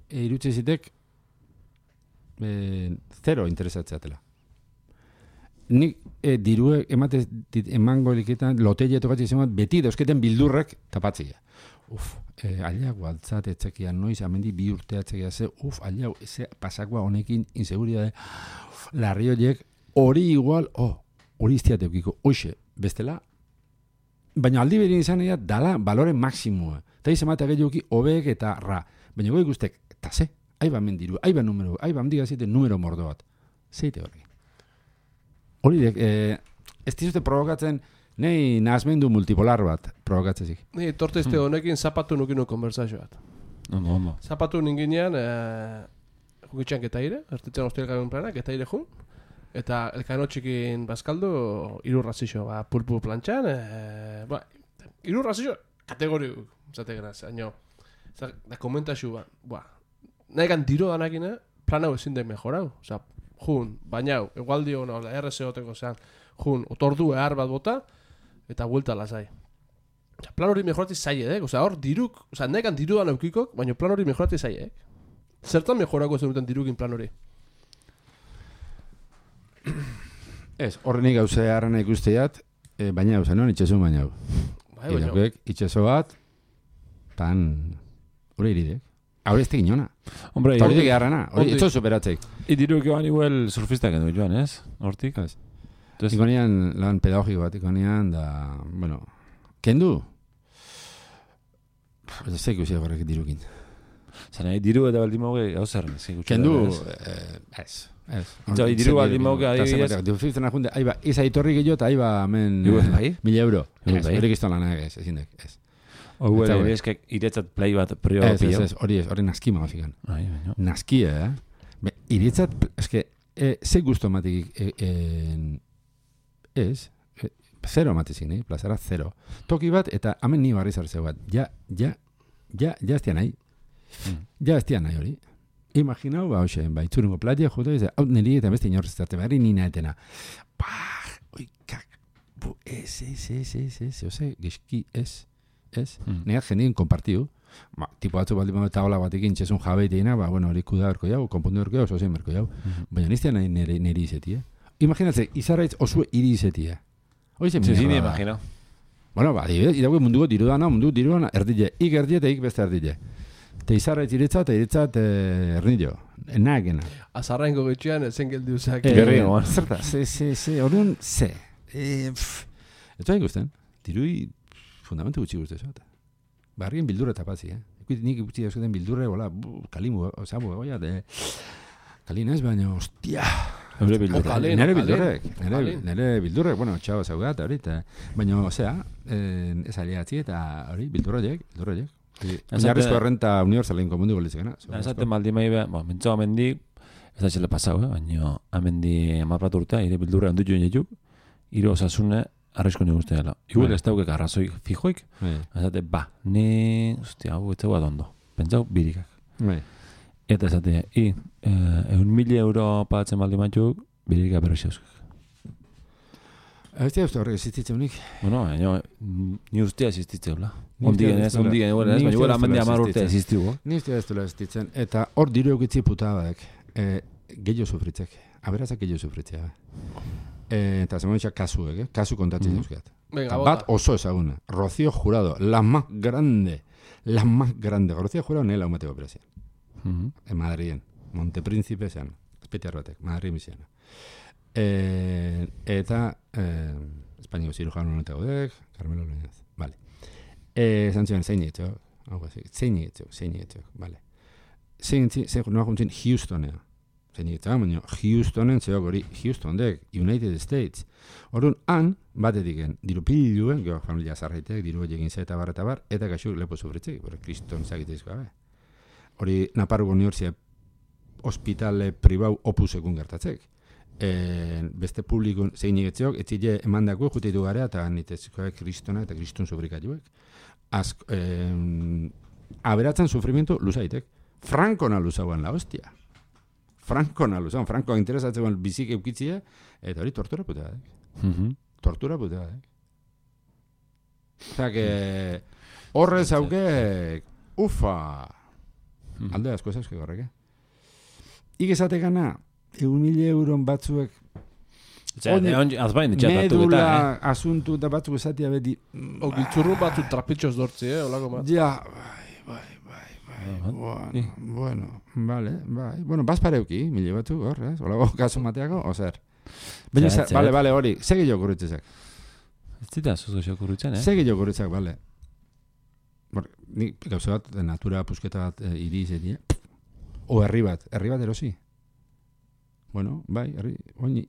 e, irutze zitek e, zero interesatzeatela. Nik e, dirue emate emango liketan lotelle tokatzi izan beti dauzketen bildurrek tapatzia. Uf, e, aliak gualtzat etzekia noiz, amendi bi urteatzekia ze, uf, aliak eze pasakoa honekin inseguridade, larri horiek, hori igual, oh, hori iztiate eukiko, oixe, bestela, baina aldi berin izan egia, dala balore maksimua. Eta izan matea gehioki, obeek eta ra. Baina goi guztek, eta ze, aiba mendiru, aiba numero, aiba mendiga zite numero mordo bat. Zeite horrekin. Hori dek, eh, ez dizute provokatzen, nahi nahazmendu multipolar bat provokatzezik. Ni torte izte honekin zapatu nukinu konversazio bat. Ondo, ondo. Zapatu ninginean, eh, jukitxan getaire, ertitzen hostia elkarren planak, getaire jun, eta elkano txikin bazkaldu, irurra zixo, ba, pulpu plantxan, eh, ba, irurra zixo, kategori, zate genaz, haino, da komentaxu, ba, ba, nahi gan diro danakine, plan hau ezin den mejorau, oza, jun, bainau, egualdi hona, R S O-teko zean, jun, otordu ehar bat bota, eta vuelta lasai. Plan hori mejorati zailek, osea, hor diruk, osea, nekan dirudan eukikok, baina plan hori mejorati zailek. Zertan mejorako zenuten dirukin plan hori? Ez, horrenik gauza harrena ikusteat, e, baina gauza, non, itxesun baina hau. Bai, baina. Irakuek, itxeso bat, tan, hori iridek. Hori ez tekin jona. Hombre, Eta hori harrena, hori Hortik. itxo superatzeik. Idiruk eban igual surfistak edo joan, ez? Hortik? Ez. Entonces, Ikonian lan pedagogiko bat, ikonian, da, bueno, kendu? Ez da ikusi horrek dirukin. zan nahi, diru eta baldin mauge, hau zer, ez ikutxe. Kendu, ez? eh, ez. Ez. Eta diru baldin mauge, adibidez. Dufizten akunde, aiba, iza itorri gehiago eta aiba hemen Igu ez bai? mila euro. Igu Ez, bai? hori gizton lanak ez, ezin dek, ez. Hau Eta ere, bai. eskek iretzat play bat prio Ez, ez, pillau. ez, hori ez, hori naski magafikan. Ai, baina. Naskia, eh? Be, iritzat, eske, e, ze gusto matik, e, e, ez, e, zero matezik, nahi, plazara zero. Toki bat, eta hemen ni barri zartzeu bat. Ja, ja, ja, ja ez nahi. Mm. Ja ez nahi hori. Imaginau, ba, hoxe, ba, itzurungo platia, jute, ez, hau niri eta beste inorreztate, behar nina etena. Bah, oikak, bu, ez, ez, ez, ez, ez, ose, geski, ez, ez. Mm. Negat jendien kompartiu. Ba, tipo batzu baldin bat taola batekin txesun jabeiteina, ba, bueno, hori kuda berko jau, konpundu berko jau, oso zein berko jau. Mhm. Baina niztea nahi nire, nire izeti, eh? Imaginatze, izarraitz osue iri izeti, eh? Hori zen Sí, sí, mierda ni da. imagino. Bueno, ba, adibidez, idago munduko dirudana, mundu dirudana, erdile, ik erdile eta ik beste erdile. Te izarraitz iritza eta iritzat eh, erdillo. Nagena. Azarrainko getxean ezen geldi uzak. Eh, Gerri, goan. Zerta, ze, ze, ze, orduan, ze. E, pff. Eta hain guztien, dirui fundamentu gutxi guzti zota. Barrien bildurra tapazi, eh? Ikuit nik gutxi dauzketen bildurre, hola, bu, kalimu, osabu, goia, de... Kalin ez, baina, ostia... Eure bildurra. Ojalá. Nere Kalin, bildurrek, nere, Kalin. nere bildurrek, bueno, txau zaugat, hori, eta... Baina, osea, eh, ez aliatzi eta hori, bildurroiek, bildurroiek. Oinarrizko errenta universalen komundu golizekena. Esaten maldi mahi behar, bo, mentzo amendi, ez da txele pasau, eh? Baina amendi amaprat urtea, ire bildurra handu joan jetuk, ire osasune arrizko nik uste dela. Igual Bai. ez daukek arrazoi fijoik, Bai, esate, ba, ni, ostia, hau, ez zegoa dondo. Pentsau, birikak. bai. Eta esate, i, eh, egun mili euro pagatzen maldi matzuk, birikak berri zeuzkak. Ez da uste horrek existitzen unik. Bueno, baina, ni ustea existitzeula. Ni Ondien ustea ez, ez duela- ondien, igual ez, ni baina ustea igual ez duela amendi amar urte existitzen. existiugo. Ni uste ez duela existitzen. Eta hor diru eukitzi putabak, eh, gehiago sufritzek. Aberazak gehiago sufritzea. Eh, eta zemoitxak kasuek, eh? Kasu kontatzen Mhm. dauzkat. Venga, Eta bota. bat oso ezaguna. Rocío Jurado, la más grande. La más grande. Rocío Jurado nela umateko operazioa. Mhm. En Madriden. Montepríncipe zean. Espetiar batek. Madrid miziana. Eh, eta eh, Espainiko zirujano honetako dek, Carmelo Leñaz. Vale. Eh, Santzioan zein etxo. Hau gazi. Zein etxo, zein etxo. Vale. Zein etxo, zein noa juntzin Houstonea. Zein etxo, baina Houstonen zeok hori Houston dek, United States. Orduan, han, batetiken, diru pidi duen, geho familia zarraitek, diru egin zeta bar eta bar, eta kaxuk lepo sufritzek, bera, kriston zagiteizko gabe. Hori, Naparruko Unibertsitate hospitale pribau opusekun gertatzek. E, beste publikun zein egetzeok, etzile emandako juteitu garea, eta nitezkoak kristona eta kriston sufrikatuek. Ask, eh, aberatzen sufrimiento luzaitek. Frankona luzauan la hostia. Frankona luzauan, Franko interesatzen bizik eukitzia, eta hori tortura putea da. Mhm. Tortura putea da. Osa, que horrez hauke, ufa, Mhm. alde asko ezauske horrek, eh? Ik esate gana, egun mila euron batzuek, Honi- Azbain, ditxat batu eta, medula asuntu da batzuk esatia beti, O giltzurru batzu trapitxoz dortzi, eh, olako bat. ja, bai, bai, bai, bai, Ah, bueno, bueno, vale, bai, bueno, bazpareuki, mila batzuk, hor, ez, olago kasu mateako, ozer. Baina, Zet, ze- bale, zet. bale, hori, segi jo kurritzezak, ez zita zuzo xokurrutzen, eh? segi jo kurritzak, bale. Bor, ni gauza bat, natura pusketa bat e, iri izetia, o herri bat, herri bat erosi. Bueno, bai, herri, oin,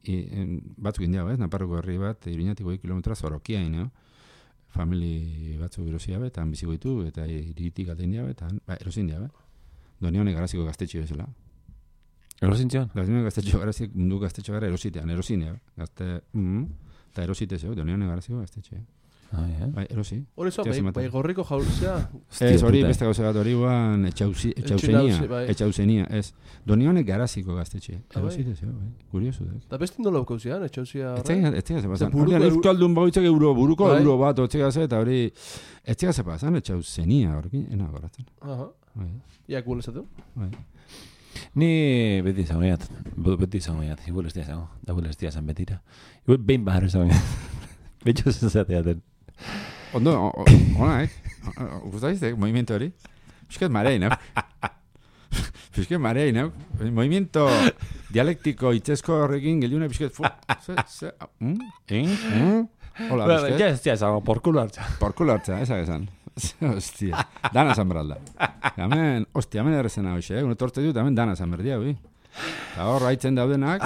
batzuk indiago, ez, Naparroko herri bat, iruñatik goi kilometra zorokia ino, famili batzuk erosia bet, han biziko ditu, eta iritik alde indiago, eta han, ba, erosi indiago, doni honek garaziko gaztetxio bezala. Erosintzion? Doni gaztetxio garazik, mundu gaztetxo gara erositean, erosine, gazte, mm, eta erosite zeu, doni honek garaziko gaztetxio. Bai, erosi. Hori zo, Etxeaz bai, ematen. bai gorriko jauzia. Ez, hori puta. beste gauza bat hori guan etxauzenia, Etxinauzi, bai. etxauzenia, ez. Donionek garaziko gaztetxe. Ah, bai. Erosi dezio, bai. Kurioso da. Da beste indolo kauzian, etxauzia horre. Etxega, etxega zepasan. buruko Ordean euro- euskaldun bagoitzak euro, buruko Bai. euro bat, otxega ze, eta hori, etxega zepasan, etxauzenia, horrekin, ena goratzen. Aha. Bai, Iak guen esatu. bai. Ni beti izango gaiat, beti izango gaiat, igual ez izango, da igual ez izan betira. Igual behin bahar izango gaiat. Betxo zezateaten. Ondo, o- o- ona, eh? Gustaizte, movimiento hori? Piskat marein, eh? Piskat marein, eh? Movimiento dialektiko itzezko horrekin geliuna piskat, fu, ze, ze, mm, in, mm. Hola, piskat. Ja ez izango, por culo hartza. Por culo hartza, esa esan. Hostia, dana zan beralda. Hemen, hostia, hemen errezena hoxe, eh? Uno torte dut, hemen dana zan berdia, hui. Eta hor, haitzen daudenak,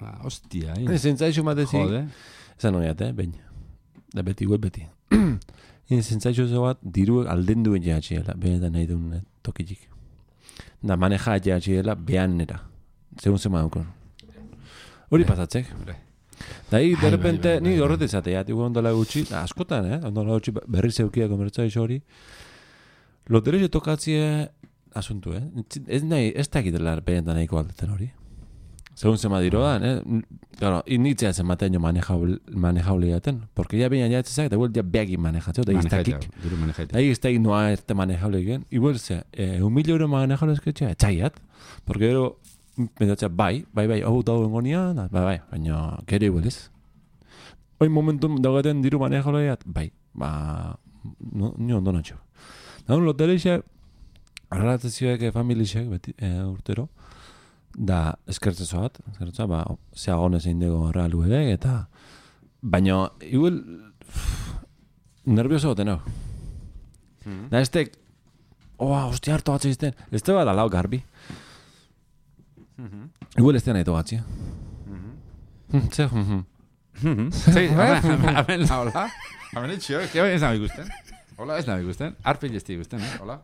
ba, hostia, eh? Zentzaixo matezik. Jode. Esan noiat, eh, behin. Da beti, igual beti. Hien zentzaixo zo bat, diru alden duen jehatxiela, benetan nahi duen eh, tokitik. Da maneja jehatxiela behan nera. Segun zema daukon. Hori pasatzek. Da hi, de repente, bai, bai, ni bai. horret izatea, igual ondola gutxi, da, askotan, eh, ondola gutxi berri zeukia komertzaixo hori. Loterio tokatzie asuntu, eh? Ez nahi, ez dakitela benetan nahiko aldetzen hori. Segun zema diroan, eh? Claro, initzea zen maten jo manejaule jaten. Porque ya baina jatzezak, da igual ja beagin manejatzeo, da iztakik. Diru manejaita. Da iztakik noa ez te manejable egin. Igual ze, eh, un mil euro manejable esketxea, etxaiat. Porque gero, pensatzea, bai, bai, bai, hau dago bengonia, bai, bai, baina gero igual ez. Hoi momentu daugaten diru manejable jat, bai, ba, no, ni ondo natxo. Da un lotereixek, arratzezioek familixek, beti, eh, urtero, da eskertzezo bat, eskertzezo, ba, zeagonez egin dugu realu edek, eta baina, igual, nervioso goten hau. Mm. Da, ez tek, oa, hostia, harto batzu izten, ez te bat alau garbi. Igual ez te nahi togatzi. Ze, Sí, hemen la hola. Hemen etxio, ez nahi ikusten. Hola, ez nahi ikusten. Arpil ez ikusten, eh? Hola.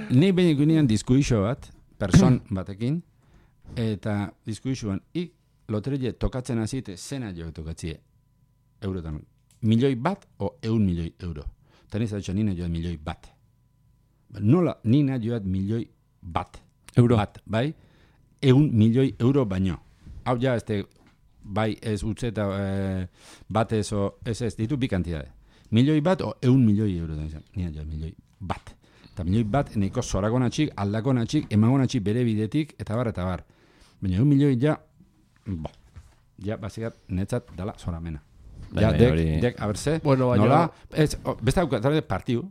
Ni behin ikunean diskuixo bat, person batekin, eta diskuixoan, ik loterie tokatzen azite, zena jo tokatzie eurotan. Milioi bat o eun milioi euro. Eta niz atxo nina joat milioi bat. Nola, nina joat milioi bat. Euro. Bat, bai? Eun milioi euro baino. Hau ja, este, bai ez utze eta eh, bat ez o, ez ez, ditu bi kantidade. Milioi bat o eun milioi euro da izan. Nina joat milioi bat. Eta milioi bat eneko zoragonatxik, aldagonatxik, emagonatxik bere bidetik, eta bar, eta bar. Baina eun milioi ja, bo, ja, basikat, netzat dala zoramena. Bai, Ja, bai, dek, hori- dek, a ber, ze, Bueno, baina- nola, ez, o, beste hau, tarde, partiu.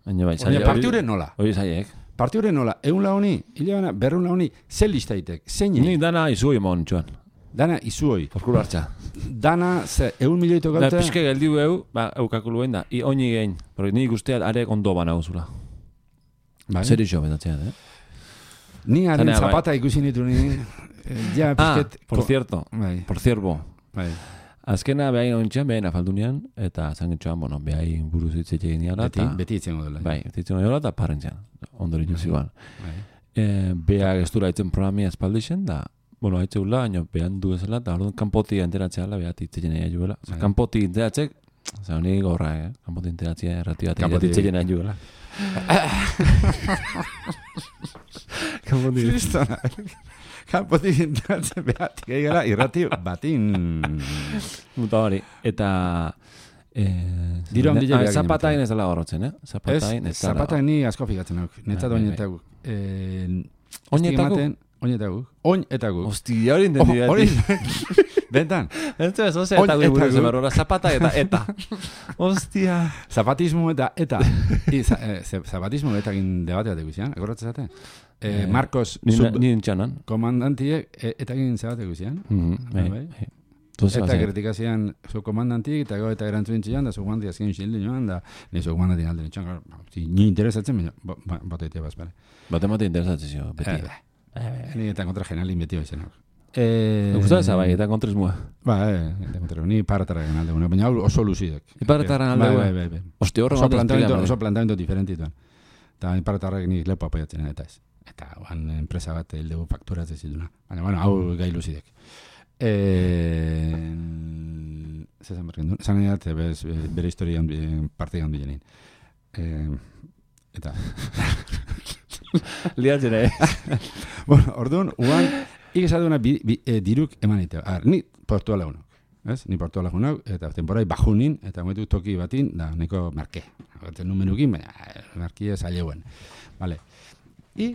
Baina bai, Baina partiure nola. Hori zaiek. Partiure nola, eun la honi, hile bana, berreun la honi, ze listaitek, zein Ni dana izu emon txuan. dana izuoi, Porkulo hartza. dana, ze, eun milioi Da, tokaute, pixke geldiu eu, ba, eukakuluen da, i oini gein. Porque ni ikusteat are ondo bana gozula. bai? Zer iso betatzeat, eh? Ni haren Zanea, bai. zapata ikusi nitu ni, eh, ja, Ah, pixket, por ko- cierto, bai, por cierto. bai, Azkena behain ontxean, behain afaldunean, eta zangetxoan, bueno, behain buruz hitz egin diala, beti, eta... beti itzen dela. Bai, zitzen dira eta parrentzean, ondori juzigoan. Bai. E, Bea gestura itzen programia espaldixen, da, bueno, haitze gula, baina behan du ezela, eta orduan kanpoti enteratzea ala, behat itzen nahi juela. Bai. Kanpoti enteratzek, oza, honi gorra, eh? Kanpoti enteratzea erratio eta Kanpoti- itzen nahi juela. Kanpoti... Kristona, kanpotik entratzen behat, gehiagara, irrati batin. Muta hori. Eta... Eh, Diru handia ah, behar zapatain ginen. ez dela gorrotzen, eh? Ez, Zapatain ez dela... zapatak ni asko figatzen nauk, netzat Bai, bai, oinetak guk. Eh, Oinetako? Oinetak guk, oinetak guk. Hostia, hori Oh, entendi hori, bentan, Ez ez, oze, Oin eta eta gure gu. zemarrora, zapata eta eta. Hostia. zapatismo eta eta. I, za, eh, ze- zapatismo eta egin debate bat ikusian, akordatzen zate? Eh, Eh, Marcos, Ni sub ni entxanan. komandantiek eh, eta egin zabate ikusian. Mhm, bai, bai. bai. Entonces, Eta bazen, kritikazian zu komandantik, eta gau eta erantzuen txian, da zu komandantik azken xildi joan, da ni zu komandantik alde nintxan, claro, si, ni interesatzen, baina, ba- ba- bat egitea bazpare. bat emate interesatzen zio, beti. Eh, Ni eta kontra generalin beti hoizen hau. Eh, Me gusta esa bai, eta kontrismua. Ba, eh, eta kontra, ni paratara gen alde, baina hau oso luzidek. Iparretaren alde, Bai, bai. bai, bai, bai. Hostia, horre Oso bat planteamiento, espila, oso planteamiento diferentituan. Eta ipartarrak ni lepo apoiatzen eta ez. Eta oan enpresa bat heldegu fakturatzen zituna. Baina, bueno, hau gai luzidek. Eh, zezan bergen duen. Zan edat, bez, bere historian parte gandu jenin. Eh, eta... Liatzen, eh? Bueno, orduan, uan, ikizaduna bi, bi, e, diruk eman ite. Ar, ni portua lagunok. Ez? Ni portua lagunok, eta temporai bajunin, eta moetu toki batin, da, neko marke. Eta numenukin, baina, markia zaileuen. Vale. I,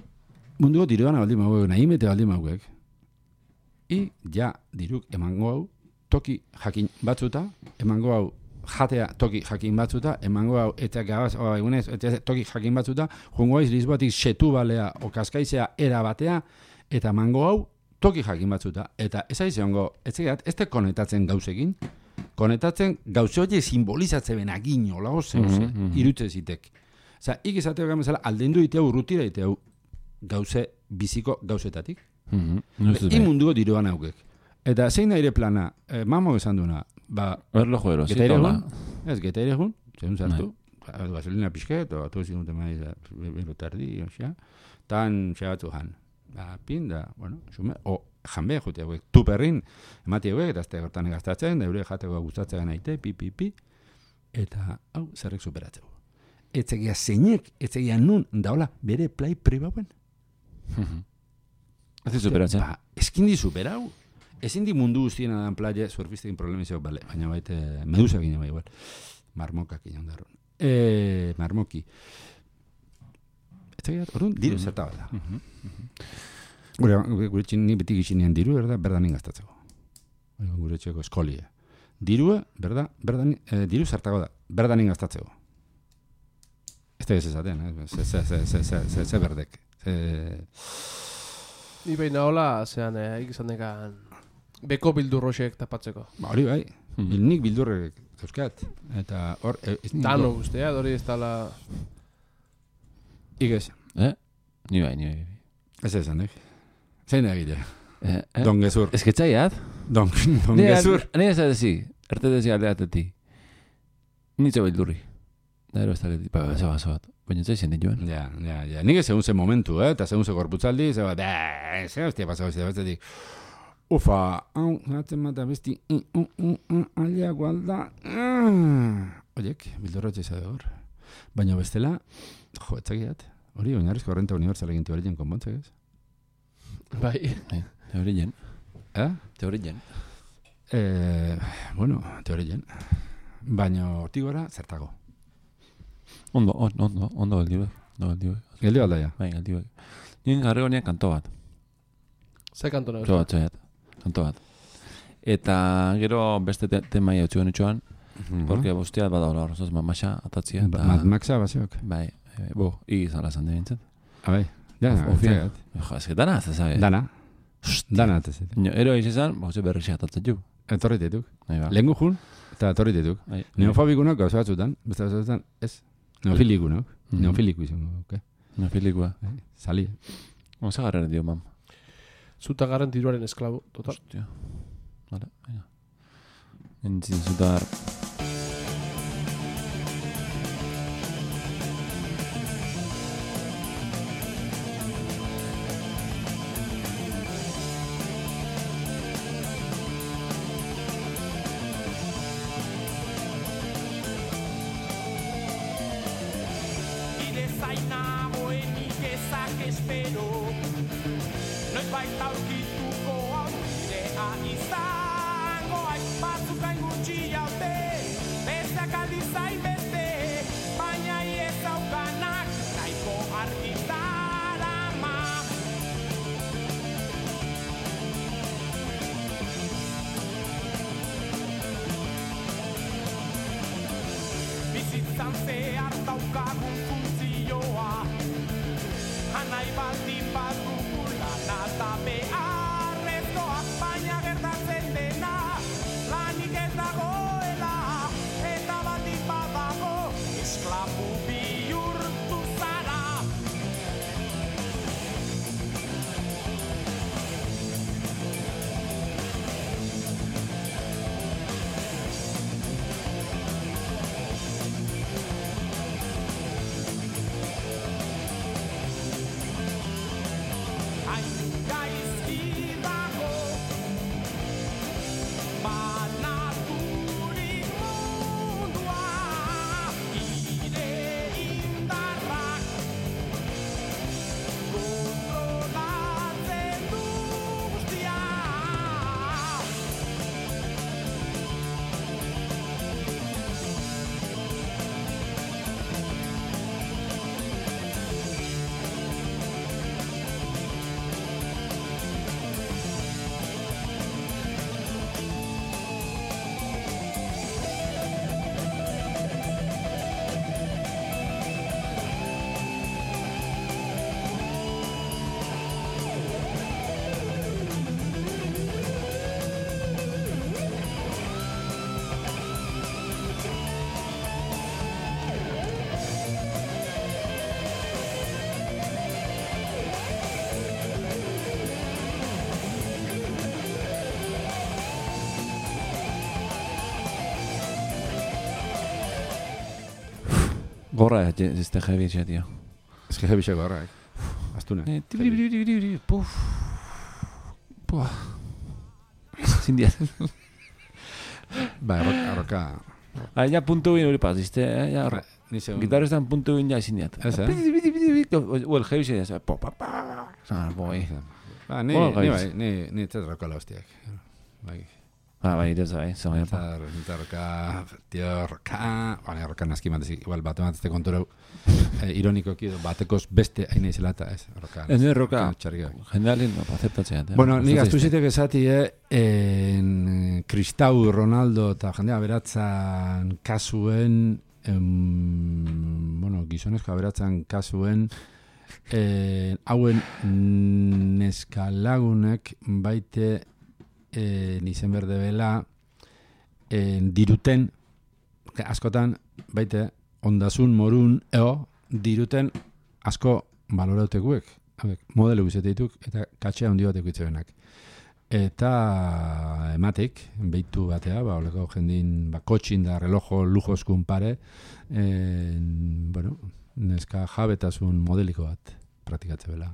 munduko diruan aldi mauek, nahi mete aldi mauek. I, ja, diruk emango hau, toki jakin batzuta, emango hau, jatea toki jakin batzuta, emango hau, eta gabaz, o, egunez, eta toki jakin batzuta, jungo haiz Lisboatik setu balea, o kaskaizea era batea, eta emango hau, toki jakin batzuta. Eta ez aiz egongo, ez egat, ez te konetatzen gauzekin, konetatzen gauze hori simbolizatze benagin, olago zeuze, mm -hmm. irutze zitek. Osa, ik izateo gamezala, aldendu iteu, rutira iteu, gauze, biziko gauzetatik. Mm -hmm. Imunduko diruan haukek. Eta zein da ire plana, eh, mamo esan duna, ba... Erlo joero, geta iregun, ez, geta iregun, zeun zartu, ba, gasolina pixket, o atu zinut emaiz, bero tardi, osia, tan xabatu jan. Ba, pin da, bueno, xume, o janbe jute hauek, tuperrin, emati hauek, eta azte gortan gastatzen, da eure jateko gustatzen aite, pi, pi, pi, eta, hau, zerrek superatzeu. Etzegia zeinek, etzegia nun, daola, bere play pribauen. Ez superatzen? Ba, eskin di superau. Ezin di mundu guztien adan playa, surfistekin problemizio, bale, baina baite, medusa gine bai, igual. Marmokak inan darun. E, marmoki. Etzegia, orduan, diru zerta bat da. Gure, gure txin, ni betik ixinean diru, berda, berdan ingaztatzeko. Gure txeko eskolia. Dirua, berda, berdan, eh, diru zertago da, berdan ingaztatzeko. Ez da ez ezaten, eh? Ze, ze, ze, ze, ze, ze, ze berdek. Ze... Ni behin hola, zean, eh, ikizan dekan, beko bildurroxek tapatzeko. Ba, hori bai, mm. nik bildurrek zeuzkat. Eta hor... Dano guztia, hori ez tala... Ikez. Eh? Ni bai, ni bai. Ez ezan, eh? Zein egite? Eh, eh? Don gezur. Ez que txaiat? Don, don gezur. Ni ez adezi, erte dezi aldeateti. Nitzo bildurri. Da ero ez taleti, ba, ez bat, bat. Baina ez zen joan. Ja, ja, ja. Nik ez segun ze momentu, eh? Eta segun ze korputzaldi, ze bat, eh, ze hostia pasau, ze bat, zetik. Ufa, hau, zaten mata besti, alia gualda. Oiek, bildurrotxe izade hor. Baina bestela, jo, etzakiat. Hori, oinarrizko renta universal egin teorien konpontzek ez? Bai. Teorien. Eh? Teorien. Eh, bueno, teorien. Baina hortik gora, zertago. Ondo, ondo, ondo, ondo geldibe. Ondo geldibe. Geldi balda ja. Bai, geldibe. Nien garregonean kanto bat. Ze kanto nago? Zo bat, zoiat. Kanto bat. Eta gero beste te temai hau txuan itxuan, mm-hmm. porque bosteat bada hola horrozoz mamaxa atatzia. Ba, Mad Maxa baseok. Bai, e, bo, igizala zan de bintzat. Abai, ja, ofia. Jo, ez que dana ez zabe. Dana. Dana ez zabe. No, ero izan, bo, ze berrixe atatzat ju. Etorri dituk. Ba. Lengu jun, eta etorri dituk. Neofobikunak gauza batzutan, beste batzutan, ez. Neofilikunak. Mm-hmm. Neofiliku izango, oke. Neofilikua. Sali. Oza garraren dio, mam. Zuta garren tiruaren esklabo, total. Hostia. Vale, venga. Entzin zutar... Gaizki dago, banatu Gorra, ez da jebi etxea, tio. Ez que jebixeko horra, eh? Aztuna. Eh, tibiri, biri, biri, biri, biri, puf. Pua. Zindiat. Ba, arroka... arroka... Ah, ja puntu bin hori pasiste, eh? Ja, Ba, ni segun. gitarristan puntu bin ja zindiat. Ez, eh? Bidi, bidi, bidi, bidi. O el jebi etxea, po, pa, pa. Ah, boi. Ba, ni, Bueno, ni gaiz. bai, ni, ni ez rokola hostiak. Bai. Ah, bai, ez bai, zau ja, pa. Eta, eta roka, tio, roka... Bale, roka naski matez, igual bat ematezte konturau. Eh, ironikoki edo batekoz beste hain izela eta ez, roka. Ez nire roka, Txarrik. jendealin, aceptatzea. Bueno, ni gaztuzitek esati, eh, en, Kristau Ronaldo eta jendea beratzan kasuen, em, bueno, gizonezko beratzan kasuen, eh, hauen neskalagunek baite eh, izen berde bela eh, diruten, askotan baite ondasun morun eo diruten asko balorautekuek, modelo guzeteituk eta katxea handi batek itzebenak. Eta ematik, behitu batea, ba, oleko jendin, ba, kotxin da relojo lujoskun pare, en, bueno, neska jabetasun modeliko bat praktikatze bela.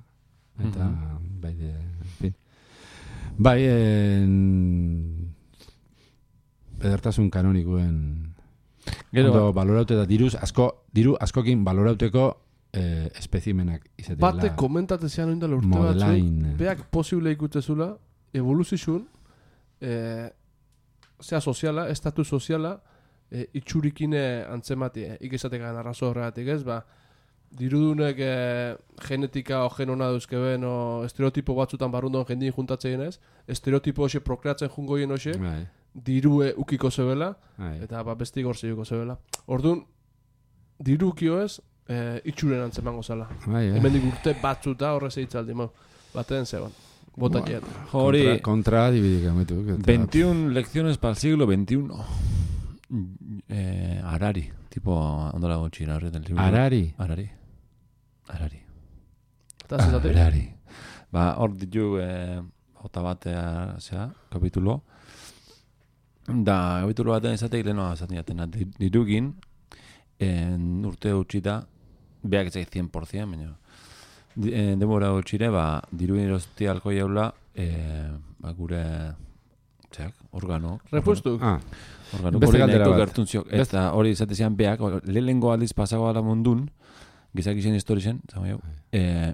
Eta, mm-hmm. bai, de, en fin. Bai, en, edertasun kanonikuen Gero, ondo baloraute da diruz, asko, diru askokin balorauteko eh, espezimenak izetela. Bate komentatezean oindala urte batzu, modelain. beak posible ikutezula, evoluzizun, eh, zea soziala, estatu soziala, eh, itxurikine antzematie, ikesatekan arrazo horregatik ez, ba, dirudunek eh, genetika o genona duzkeben o estereotipo batzutan barrundon jendien juntatzeien ez, estereotipo hoxe prokreatzen jungoien hoxe, Bai, dirue ukiko zebela, bai. eta ba, besti gorzeuko zebela. Orduan, diru ukio ez, eh, itxuren antzemango zala. Bai, eh. Hemendik urte batzuta horrez eitzaldi, mau. Baten zeban. Bota Ba, jet. hori, Contra, contra dividik ametuk. eta- veintiuna lecciones para el siglo veintiuno. Eh, Harari, tipo, ondola gotxira horretan libro. Harari. Harari. Harari. Eta zezatik? Harari. Ba, hor ditu, eh, jota batea, zera, kapitulo. Da, kapitulo batean izateik lehenoa esaten jatena. Dirugin, en urte utxita, beak etzai cien por ciento, baina. Di- eh, Demora utxire, ba, dirugin erosti alko jaula, eh, ba, gure, zeak, organo. Repuestuk? Ah, Organo, Beste hori galdera nahiko bat. gertuntziok. Eta hori izatezian beak, lehenengo aldiz pasago ala mundun, gizakizien historizen, zama jau, eh,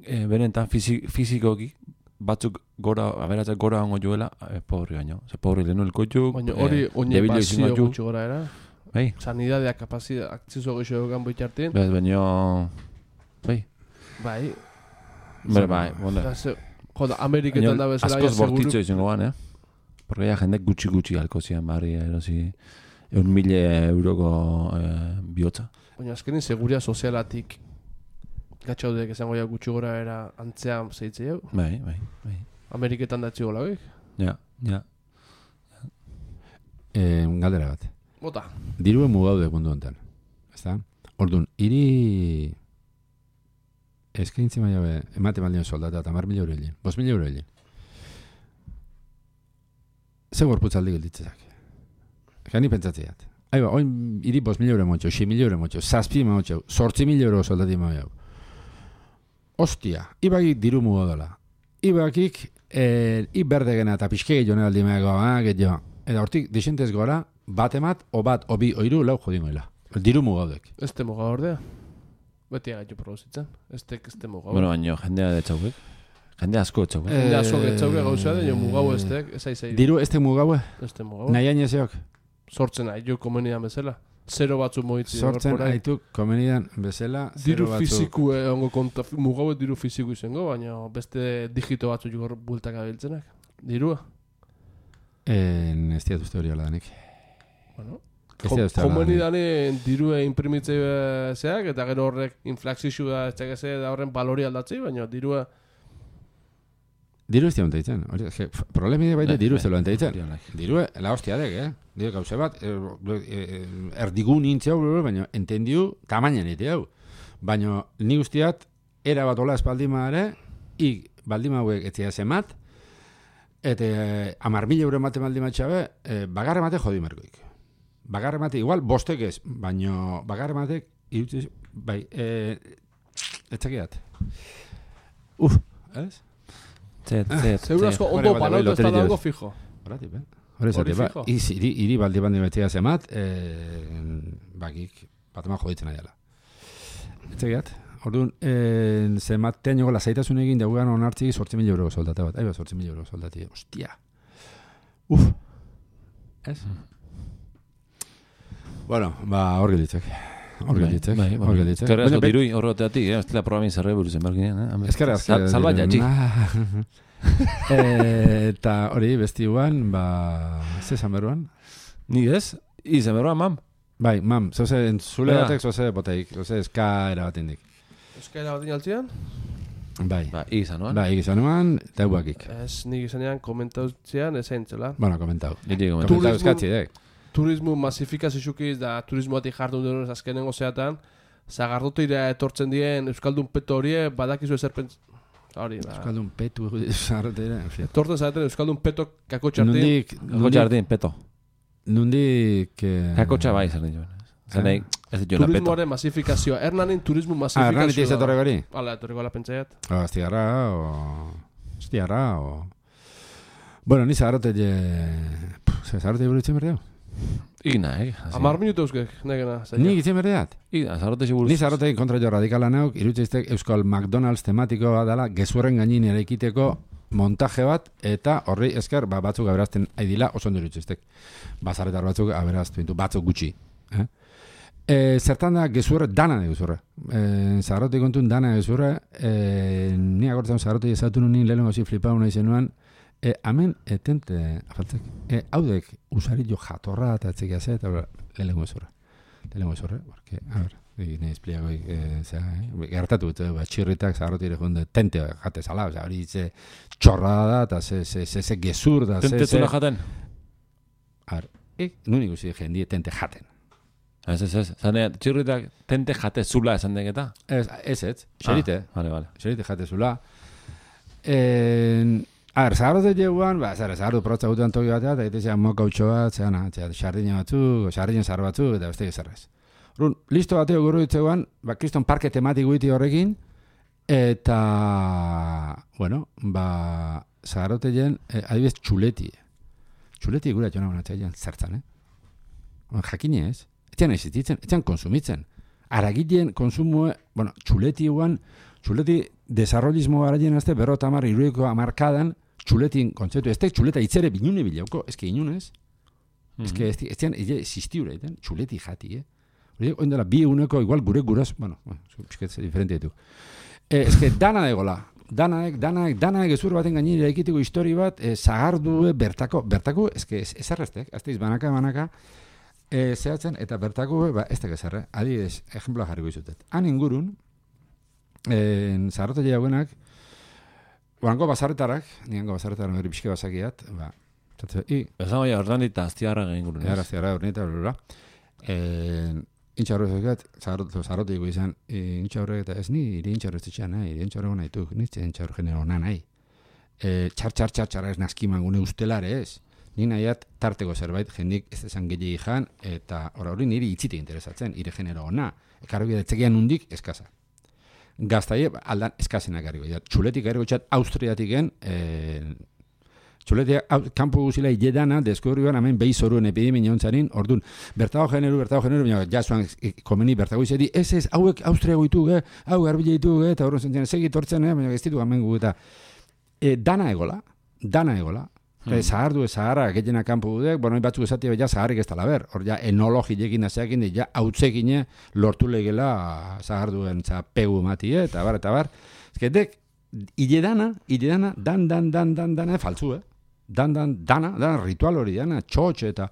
eh, benetan fizi, fizikoki, batzuk gora, aberatzak gora hongo joela, eh, pobri baino. Ze pobri lehenu elkoituk, Baina hori oine debilo pasio izango gutxi gora era. bai, Sanidadea, kapazidea, akzizo geixo egan boitartin. bez, baino, bai, Bai. bere, bai, bonda. Da, ze, joda, Ameriketan da bezala, askoz ja, seguru. bortitzo izango ban, eh? Porque ya jendek gutxi-gutxi alko zian barri, erosi, eun mile euroko eh, bihotza. Baina azkenin seguria sozialatik gatxaudek esango ja gutxi gora era antzean zeitze jau. Bai, bai, bai. Ameriketan datzi gola, oik? Ja, ja. eh, galdera bat. Bota. Dirue mugaude mundu honetan. Ezta? Orduan, hiri eskaintzi maila be, emate maldion soldata eta mar mila euro hilien. Bos mila euro hilien. Ze gorputzaldi gelditzezak. Gani pentsatzeat. Aiba, oin hiri bos mila euro motxo, xi mila euro motxo, zazpi motxo, sortzi mila euro soldati maia. Ostia, ibagik diru mugo dola. Ibagik, eh, iberde gena eta pixke gehione aldi meago, ah, gehiago. Eta hortik, desentez gora, bat emat, o bat, o bi, o iru, lau jodingoela. Diru mugaudek. Ez temo gaurdea. Beti agaitu produzitzen. Ez tek ez temo gaur. Bueno, baino, jendea de txauek. Jende asko txauek. Jende asko getzauke gauza da, jo mugau ez tek, ez aizai. Diru ez te mugaue? Ez temo gaur. Nahi ainezeok? Sortzen nahi, jo komenidan bezala. Zero batzu moitzi. Sortzen gorpora. aituk komenidan bezala, Diru zero batzuk. fiziku eh, ongo konta, mugau diru fiziku izango, baina beste digito batzu jugor bultak abiltzenak. Dirua. En, ez diat uste hori hola danik. Bueno. Ez diat uste hola danik. Komenidanen dirue imprimitze zeak, eta gero horrek inflaxixu da, ez txekese da horren balori aldatzi, baina dirua... Diru ez diat ditzen. Problemi baita diru ez diat ditzen. Diru, Diru, la hostia dek, eh? Diru gauze bat, er- er- erdigun intzeu, baina entendiu tamainen ite hau. Baina ni guztiat, era bat ola espaldima ere, ik baldima hauek etzia zemat, eta amar mila euro emate baldima txabe, eh, bagarre mate jodi merkoik. bagarre batek, igual bostek ez, baino bagarre batek, irutzi, bai, eh, etzakiat. Uf, ez? Zet, zet, Seguro asko ondo panauta ez da dago fijo. Horatik, eh? Hore zate, ba, iri, iri baldi bandi betzea zemat, eh, bakik, bat ema joditzen aiala. Etzakiat, orduan, eh, zemat teañoko lasaitasun egin daugan onartzik zortzi mila euroko soldata bat. Aiba, zortzi mila euroko soldati, ostia. Uf, ez? Bueno, ba, hor gilditzek. Hor gilditzek, hor gilditzek. Eskerra asko dirui horreteatik, eh? Estela programin zerre buruzen berginean, eh? Eskerra asko. Salba jatxik. Eta hori, besti guan, ba, ze zan beruan? Ni ez? Izan beruan, mam? Bai, mam, zoze, zule batek, zoze boteik, zoze eskaera bat indik. Eskaera bat inaltzian? Bai. Ba, izan nuan? Bai, izan nuan, eta eguakik. Ez, nik izanean komentautzean ezen zela. Bueno, komentau. Niri komentau. Komentau eskatzi, dek. Turismo masifikaziozukiz da turismo batik jardun denez azkenengo zeatan, zagardoteira etortzen dien Euskaldun peto horie badakizu ezer pentz... Hori, da. Euskaldun petu zagardoteira, en fin. Etortzen zaten Euskaldun peto kakotxartin. Nundik... Kakotxartin, peto. Nundik... Kakotxa bai zer dituen. Zenei, ez dituen peto. Turismoaren masifikazioa. Ernanin turismo Ah, masifikazioa. erran iti ez etorre gori? Hala, etorreko ala pentsaiat. O, astigarra, o... Astigarra, o... Bueno, ni zagarrote je... Zagarrote buritzen berdeu? Igna, eh? Amar minutu euskek, negena. Ni gitzen berdeat? Igna, zagarrote seguruz. Ni zagarrote kontra jo radikala nauk, irutzeiztek Euskal McDonald's tematikoa dela, gezurren gainin eraikiteko montaje bat, eta horri esker, ba, batzuk aberazten aidila, oso ondo irutzeiztek. Bazaretar batzuk aberaztu bintu, batzuk gutxi. Eh? E, zertan da gezurre, dana da gezurre. E, zagarrote kontun dana gezurre, e, ni agortzen zagarrote ezatu nun nien lehenko zi flipau nahi zenuan, E, amen, etente, afaltzek, e, haudek usari jo jatorra eta etzekia ze, eta lehenko ezurra. Lehenko ezurra, porque, a ver, nahi espliago, e, zera, eh? Gertatu, eta ba, txirritak zagarrotire jonde tente jate zala, oza, hori ze txorrada da, eta ze, ze, ze, ze gezur da, ze, Tente ze... zuna jaten? A ver, e, nun ikusi jendie tente jaten. Ez, ez, ez, zane, txirritak tente jate zula esan deketa? Ez, ez, ez, xerite, Ah, vale, vale. xerite jate zula. En... A ver, zagarrote jeguan, ba, zara, zagarrote protza gutuan toki batea, eta egitezean mokautxo bat, zeana, xardina batzuk, xardina zar batzuk, eta beste gezarrez. Run, listo bateo guru ditzeguan, ba, kriston parke tematiko iti horrekin, eta, bueno, ba, zagarrote jen, eh, adibidez, txuleti. Txuleti gura jona honatzea jen, zertzan, eh? Ba, jakine ez, etxean existitzen, etxean konsumitzen. Aragitien konsumue, bueno, txuleti guan, txuleti desarrollismo garaien azte, berro eta hamar iruiko amarkadan, txuletin kontzeptu, ez tek txuleta itzere binune bilauko, ez que inunez, Mm-hmm. ez que ez tean, existiura, eten, txuleti jati, eh? Hori, oindela, bi eguneko, igual gure guraz, bueno, pisket diferente ditu. Eh, ez que dana egola, danaek, danaek, danaek ezur baten gainera ekitiko histori bat, eh, zagardue bertako, bertako, ez que ez erreztek, azteiz banaka, banaka, eh, zehatzen, eta bertako, ba, ez tek ezarre, adibidez, ejemploa jarriko izutet. Han ingurun, eh, zagarrote jauenak, oango bazarretarak, niango bazarretarak hori pixke bazakiat, ba, Zatze, i, Ezan baina ordan dit aztiarra egin gurun. Gara, aztiarra, ornita, bla, bla. Intxa horrek zekat, zagarrote dugu izan, intxa horrek eta ez ni, iri intxa horrek zitxean nahi, iri intxa horrek nahi du, nitze intxa horrek genero nahi. Txar, txar, txar, txar ez nazkiman gune ustelare ez. Ni nahiat tarteko zerbait, jendik ez esan gehiagi jan, eta hori niri itzite interesatzen, ire genero ona. Ekarri etzekian nundik, eskaza. Gaztaie, aldan eskazenak garriko. Txuletik garriko txat, Austriatik gen, txuletia, kanpo guzila hiledana, deskubriban, hemen behi zoruen epidemi niontzarin, orduan, bertago generu, bertago generu, baina jasuan komeni bertago izedi, ez ez, hauek Austria goitu, eh? hau garbile ditu, eh? eta horren zentzen, segit hortzen, eh? baina ez ditu gamen gu, eta e, dana egola, dana egola, hmm. e, zahardu, zaharra, gehiena kanpo dudek, bueno, batzuk esatia, ja zaharrik ez tala ber, hor ja enologilekin azeakin, ja hautzekine lortu legela zaharduen za pegu mati, eh? eta bar, eta bar, ezketek, hile dana, hile dana, dan, dan, dan, dan, dan, faltzu, eh? Dan, dan, dana, dana, ritual hori, dana, txotxe, eta,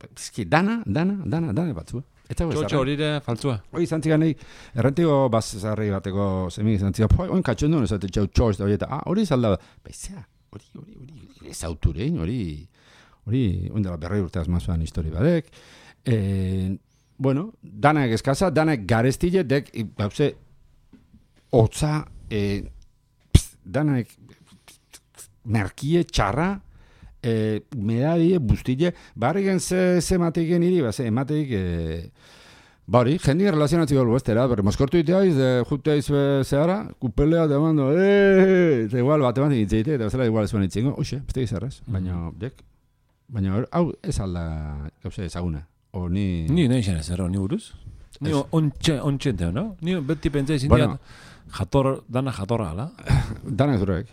ezki, dana, dana, dana, dana batzu, eh? Txotxe hori ere faltzua. Hoi, zantzikan nahi, errentiko bazarri bateko zemik zantzika, oin katxon duen esate txau txotx da hori, eta, ah, hori zalda, baizea, hori, hori, hori, ez auturein, hori, hori, oindela berrei urteaz mazuan histori badek, e, bueno, danak eskaza, danak garestile, dek, gauze, hotza, e, danak merkie, txarra, E, medadie, bustile, barri gen ze, ze mateiken iri, ba, ze emateik, e, bari, jendik relazionatziko algo estera, berre, moskortu iteaiz, de, jute aiz zehara, kupelea te mando, eee, eta igual, bat ematik itzeite, eta bezala igual zuen itzingo, oxe, beste gizarraz, baina, dek, baina, hau, ez alda, gauze, ezaguna, o ni... Ni nahi xan ez erro, ni buruz? Ni ontxe, ontxente, no? Ni beti pentsa izin Bueno. jator, dana jatorra, ala? Dana ezurek.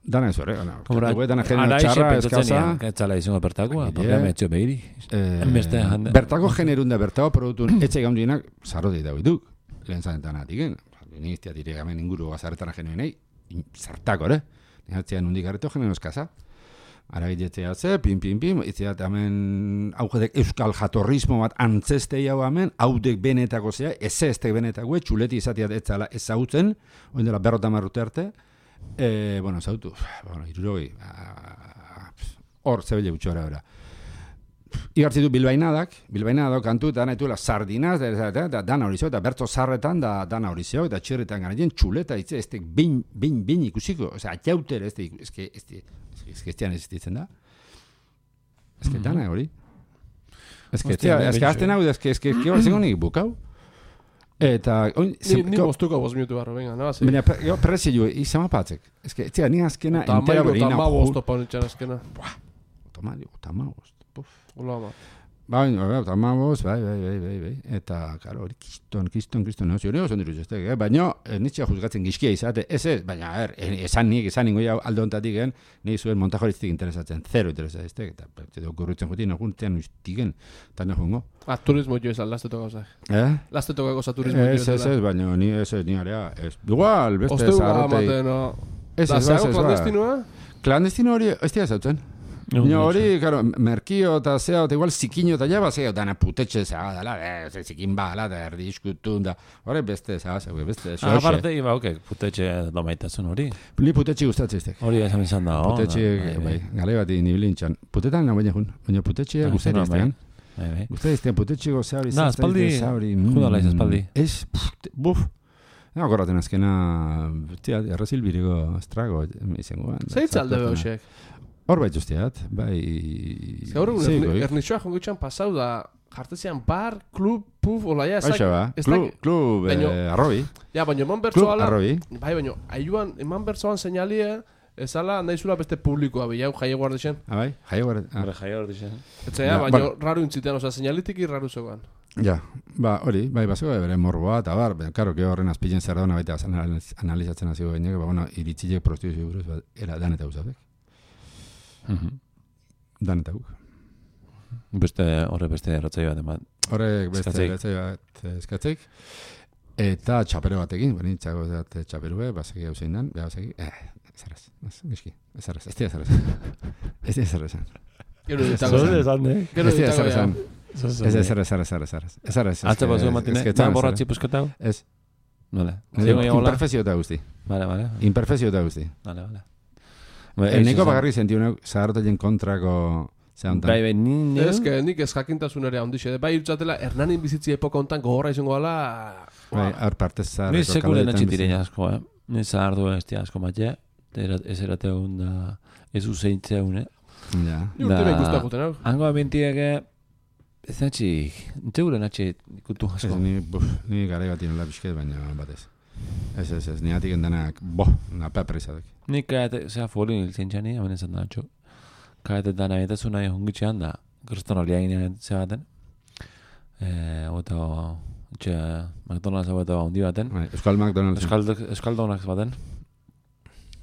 Dana ezurek. Hombre, Dana genero txarra, eskaza. Etzala izango bertakoa, Agile. programa etxo behiri. Eh, Enbeste jende- bertako generun da, bertako produktun etxe gaundienak zarroti dago dituk. Lehen zanetan atiken. Niztia direk hemen inguru gazarretara genuenei. Zartako, ere? Nihatzean hundik arreto genero eskaza. Ara giletzea ze, pin, pin, pin, itzeat hemen augedek euskal jatorrismo bat antzestei hau hemen, haudek benetako zea, ez eztek benetako, txuleti izateat etzala ezautzen, oin dela berrota marrute arte, e, bueno, zautu, bueno, irurogi, hor, zebele gutxora bera. Igartzitu bilbainadak, bilbainadak kantu eta nahi tuela sardinaz, da, da, da, dana hori zeo, eta bertzo zarretan da dana hori zeo, eta txerretan garen txuleta, itze, ez tek bin, bin, bin ikusiko, oza, atxauter, ez tek, ez que, ez tek, ez que estian existitzen da. Ez que dana hori. Ez que, Hostia, ez que azten hau, ez que, ez que, ez que hor zengo nik bukau. Eta, oin, Ni, ni moztuko bost minutu barro, venga, no? baina, jo, perrezi jo, izan patzek. Ez que, etzea, ni azkena, Eta entera amairu eta berina. ama bosto paunitxan azkena. Toma, tama, puf. Ola ama. Bai, bai, tamaboz, bai, bai, bai, bai, bai. Eta, karo, hori kiston, kiston, kiston, no, ziore oso diruz ez eh? Baina, eh, nitxea juzgatzen gizkia izate, ez ez, baina, er, esan nik, esan ningo jau alde hontatik gen, nik zuen montajoriztik interesatzen, zero interesatzen, eta, eta, okurritzen juti, noguntean ustigen, eta nahungo. Ah, turismo jo esan, lasteto gauzak. Eh? Lasteto gauza turismo jo Ez, ez, ez, baina, ni, ez, ez, ni area, ez, igual, beste Osteu da, zaharrotei. amate, no. Ez, Da, ez, ez, zeago ez, ba. klandestinua? Klandestino hori, ez dira zautzen. Baina hori, karo, merkio eta zea, eta igual zikino eta jaba zea, dana putetxe zea, dala, eh, zikin bala, da erdi iskutun, da, hori beste zea, zea, beste, Ah, aparte, iba, ok, putetxe domaitasun hori. Ni putetxe gustatzen iztek. Hori esan izan da, oh, Putetxe, da, bai, gale bat inibilintxan. Putetan na baina jun, baina putetxe Ah, gustatzen bai. iztean. Bai, bai. Gustatzen iztean, putetxe goza hori, Da, aspaldi, judala iz aspaldi. Ez, puf, buf. Ega gorraten azkena, tia, errezil biriko estrago, izango. Zeitz alde behosek. Hor bait usteat, bai... Gaur egun zeikoik. ernitxoa jongitxan pasau da, jartezian bar, klub, puf, olaia, ezak... Hoxe ba, ez klub, dakit- klub eh, Baino- arrobi, Ja, baina eman klub bertsoala... arrobi. Bai, baina, aiuan, eman bertsoan seinalie, ezala naizula beste publikoa, bilau jaie guardixen. Ah, bai, jaio gara. Ah. Hore jaia hor dixen. Etzea, Ja, baina bueno. raru intzitean, oza, seinalitik irraru zegoan. Ja, ba, hori, bai, bazeko bere morboa, eta bar, ben, karo, que horren azpilen zer dauna baita analiz- analizatzen hasi gainek, ba, bueno, iritzilek prostituzio buruz, ba, era dan eta guzabek. Dan eta guk. Beste, horre beste erratzai bat eman. Horrek beste Eskatzeik. betzai bat eh, eskatzeik. Eta txapero batekin, bani, txago zat txaperue, basegi hau zein dan, beha basegi, eh, ezaraz, ez, miski, ezaraz, ez dira ezaraz. Ez dira ezaraz. Gero Ez ditago Zor ya. esan, eh? Gero Ez dira ditago ezaraz. ya. Ez ezaraz, ezaraz, ezaraz. Ezaraz. Atze batzuk matine, da borratzi pusketau? Ez. Vale. Zingo jagola? Imperfezio eta guzti. Vale, vale. Imperfezio eta guzti. Vale, vale. El neko bakarri sentiu neu, zahartoien kontrako zehantan. Bai, bai, ni neu... Ez, que nik ez jakintasun ere handixe. Bai, irtzatela, Hernanin bizitzi epoka hontan gogorra izango gala... Bai, hor partez zaharreko Ni sekulen kaleetan atxitirein bizi. asko, eh? Ni zahardu ez tia asko matxe, ez erateun da, ez uzeintzeun, eh? Ja. Ni urte Da- nahi guztak guten hau. Hango abintiege, ez natxi, enteuren atxe ikutu Ez, asko. ni, buf, ni garai bat inola pixket, baina batez. Ez, ez, ez, ni atik endanak, bo, napa presadak. Ni kaete, zera folin hiltzen txani, hemen ezan da natxo. Kaete dana etezu nahi hongitxean da, kriston hori egin zebaten. Eh, Oto, etxe, McDonald's hau eta handi baten. Bai, Euskal McDonald's. Euskaldok, euskaldonak baten.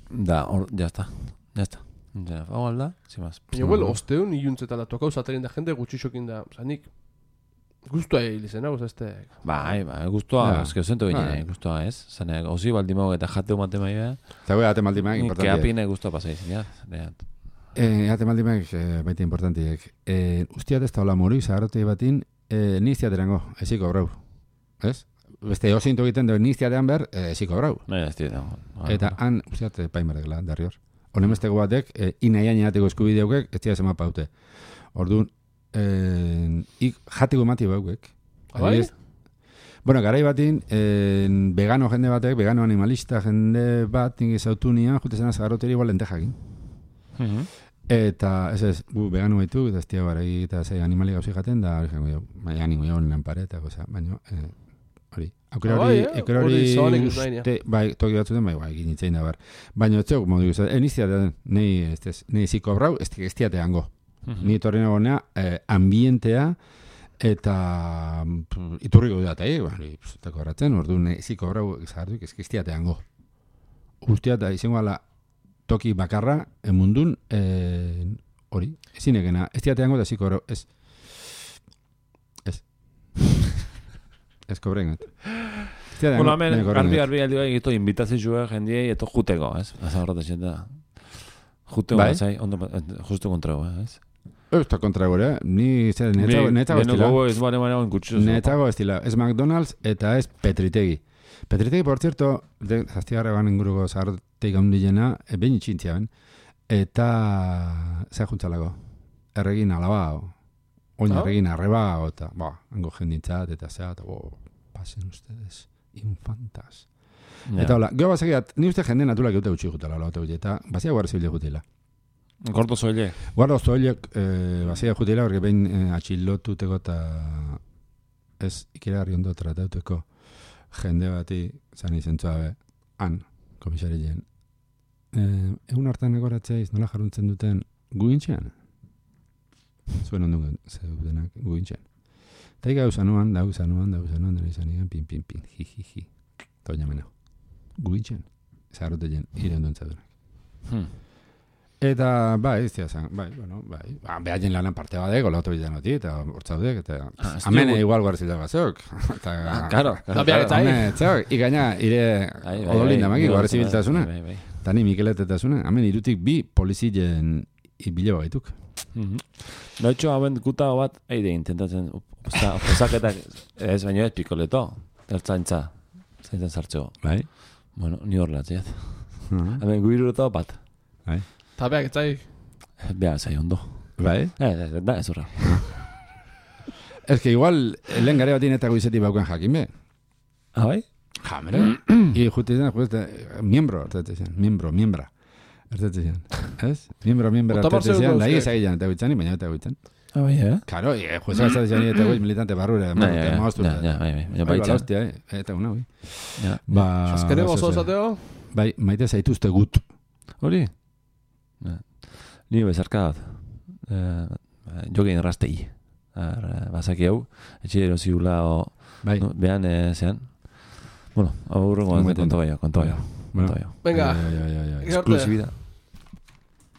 Da, hor, jazta, jazta. Ja, hau alda, zimaz. Baina, well, osteun iuntzetan da, tokau zaterin da jende gutxixokin da. Osa, nik guztua egin izan, hau, este... Bai, bai, guztua, Ja. eske zentu Bai. ginen, guztua ez. Zane, ozi baldi mau eta jateu mate mai beha. Eta goi, ate maldimak, Ni importantiek. keapine guztua pasaiz, ja. Reat. Eh, ate maldimak, eh, baita importantiek. Eh, ustiat ez taula mori, zaharrotei batin, eh, niztiaterango, eziko brau. Ez? Beste osinto egiten duen niztiatean ber, eh, eziko brau. Nahi ez dira. Eta han, ustiat, paimarekela, darri hor. Honemesteko batek, eh, inaian jateko eskubideukek, ez dira zema paute. Orduan, eh, ik jateko emati baukek. Bai? Bueno, garai batin, eh, vegano jende batek, vegano animalista jende bat, nik ezautu nian, jute zena zagarroteri igual lentejakin. Eta, ez ez, gu vegano baitu, eta ez tia baragi eta zei animali gauzi jaten, da, baina ningu jaun lan pare, eta goza, baina, eh, hori. Aukera hori, aukera hori, uste, bai, toki batzuten, bai, bai, egin itzein da, bar. Baina, ez zeok, modu, en iztiatea, nahi, ez, nahi ziko brau, ez iztiateango. Ni torri nagonea, eh, ambientea, eta iturriko dut, eh, bari, zutako horretzen, ordu, nahi ziko brau, zahartuik, ez iztiateango. Usteat, da, izango ala, toki bakarra, emundun, eh, hori, ezin egena, ez diateango da ziko, ez, ez, ez kobrengat. Bueno, hemen, garbi, garbi, aldi bai, egito, invitazioa jendiei, eto juteko, ez? Asa horretatzen da. Juteko, bai? Zai, ondo, justu kontrago, ez? Ez da kontrago, eh? Ni, zer, netzago, netzago estila. Ni, ez bare bare enkutxuz. Netzago estila, ez McDonald's eta ez Petritegi. Petritegi, por cierto, zaztigarra egan inguruko zaharteik handilena, e, behin itxintzia ben, eta zer juntzalako, erregin alaba, oin oh? erregin arreba, eta, ba, hango jendintzat, eta zea, eta, bo, pasen ustedes, infantas. Yeah. Eta hola, geho basegiat, ni uste jende natulak eute utxi jutela, eta bazia guarda zibile jutela. Gordo zoile? Guarda zoilek, eh, bazia jutela, porque behin eh, atxilotuteko eta ez ikera ondo tratauteko jende bati, zan izentzua be, han, komisari jen. Eh, egun hartan egoratzeiz, nola jarruntzen duten guintxean? Zuen ondun zeudenak guintxean. Eta ika usanuan, da usanuan, da usanuan, da usanuan, pin, pin, pin, hi, hi, hi. Toña mena. Guintxean. Zaharrote jen, ire ondun zeudenak. Hmm. Eta, bai, ez dira zan, bai, bueno, bai, ba, behar jen lanan parte badek, gola oto bitan oti, eta hortzaudek, eta ah, amene igual guarzila bazok. Eta, ah, karo, karo, karo, ikaina, ire odolinda maki, guarzibiltasuna. Eta ni Mikeletetasuna, amen irutik bi polizien ibile bagaituk. Noitxo, hauen guta bat, eide, intentatzen, osaketak, ez baino ez pikoleto, ertzaintza, zaintzen sartzeo. Bai? Bueno, ni hor latziat. Hamen guirureto bat. Bai? Eta beak, etzai? Beha, zai ondo. Bai? Eh, da, ez horra. Ez que igual, lehen gare batin eta guizeti bauken jakin be. Ah, bai? Ja, mera. I juti zen, juti miembro, ertete zen, miembro, miembra. Ertete zen, ez? Miembro, miembra, ertete zen, da higez egin eta guitzen, baina eta guitzen. Ah, bai, eh? Karo, i jueza ez zen eta guiz militante barrure, maaztu. Ja, ja, bai, bai, bai, bai, hostia, eta una, bai. Ja. Ba... Azkene gozo esateo? Bai, maite zaituzte gut. Hori? Ni bezarka bat. Jogein rastei. Bazaki hau, etxe eroziula o... Bai. Behan, zean. Bueno, hau urrengo konto baio, konto baio. Venga, exclusividad.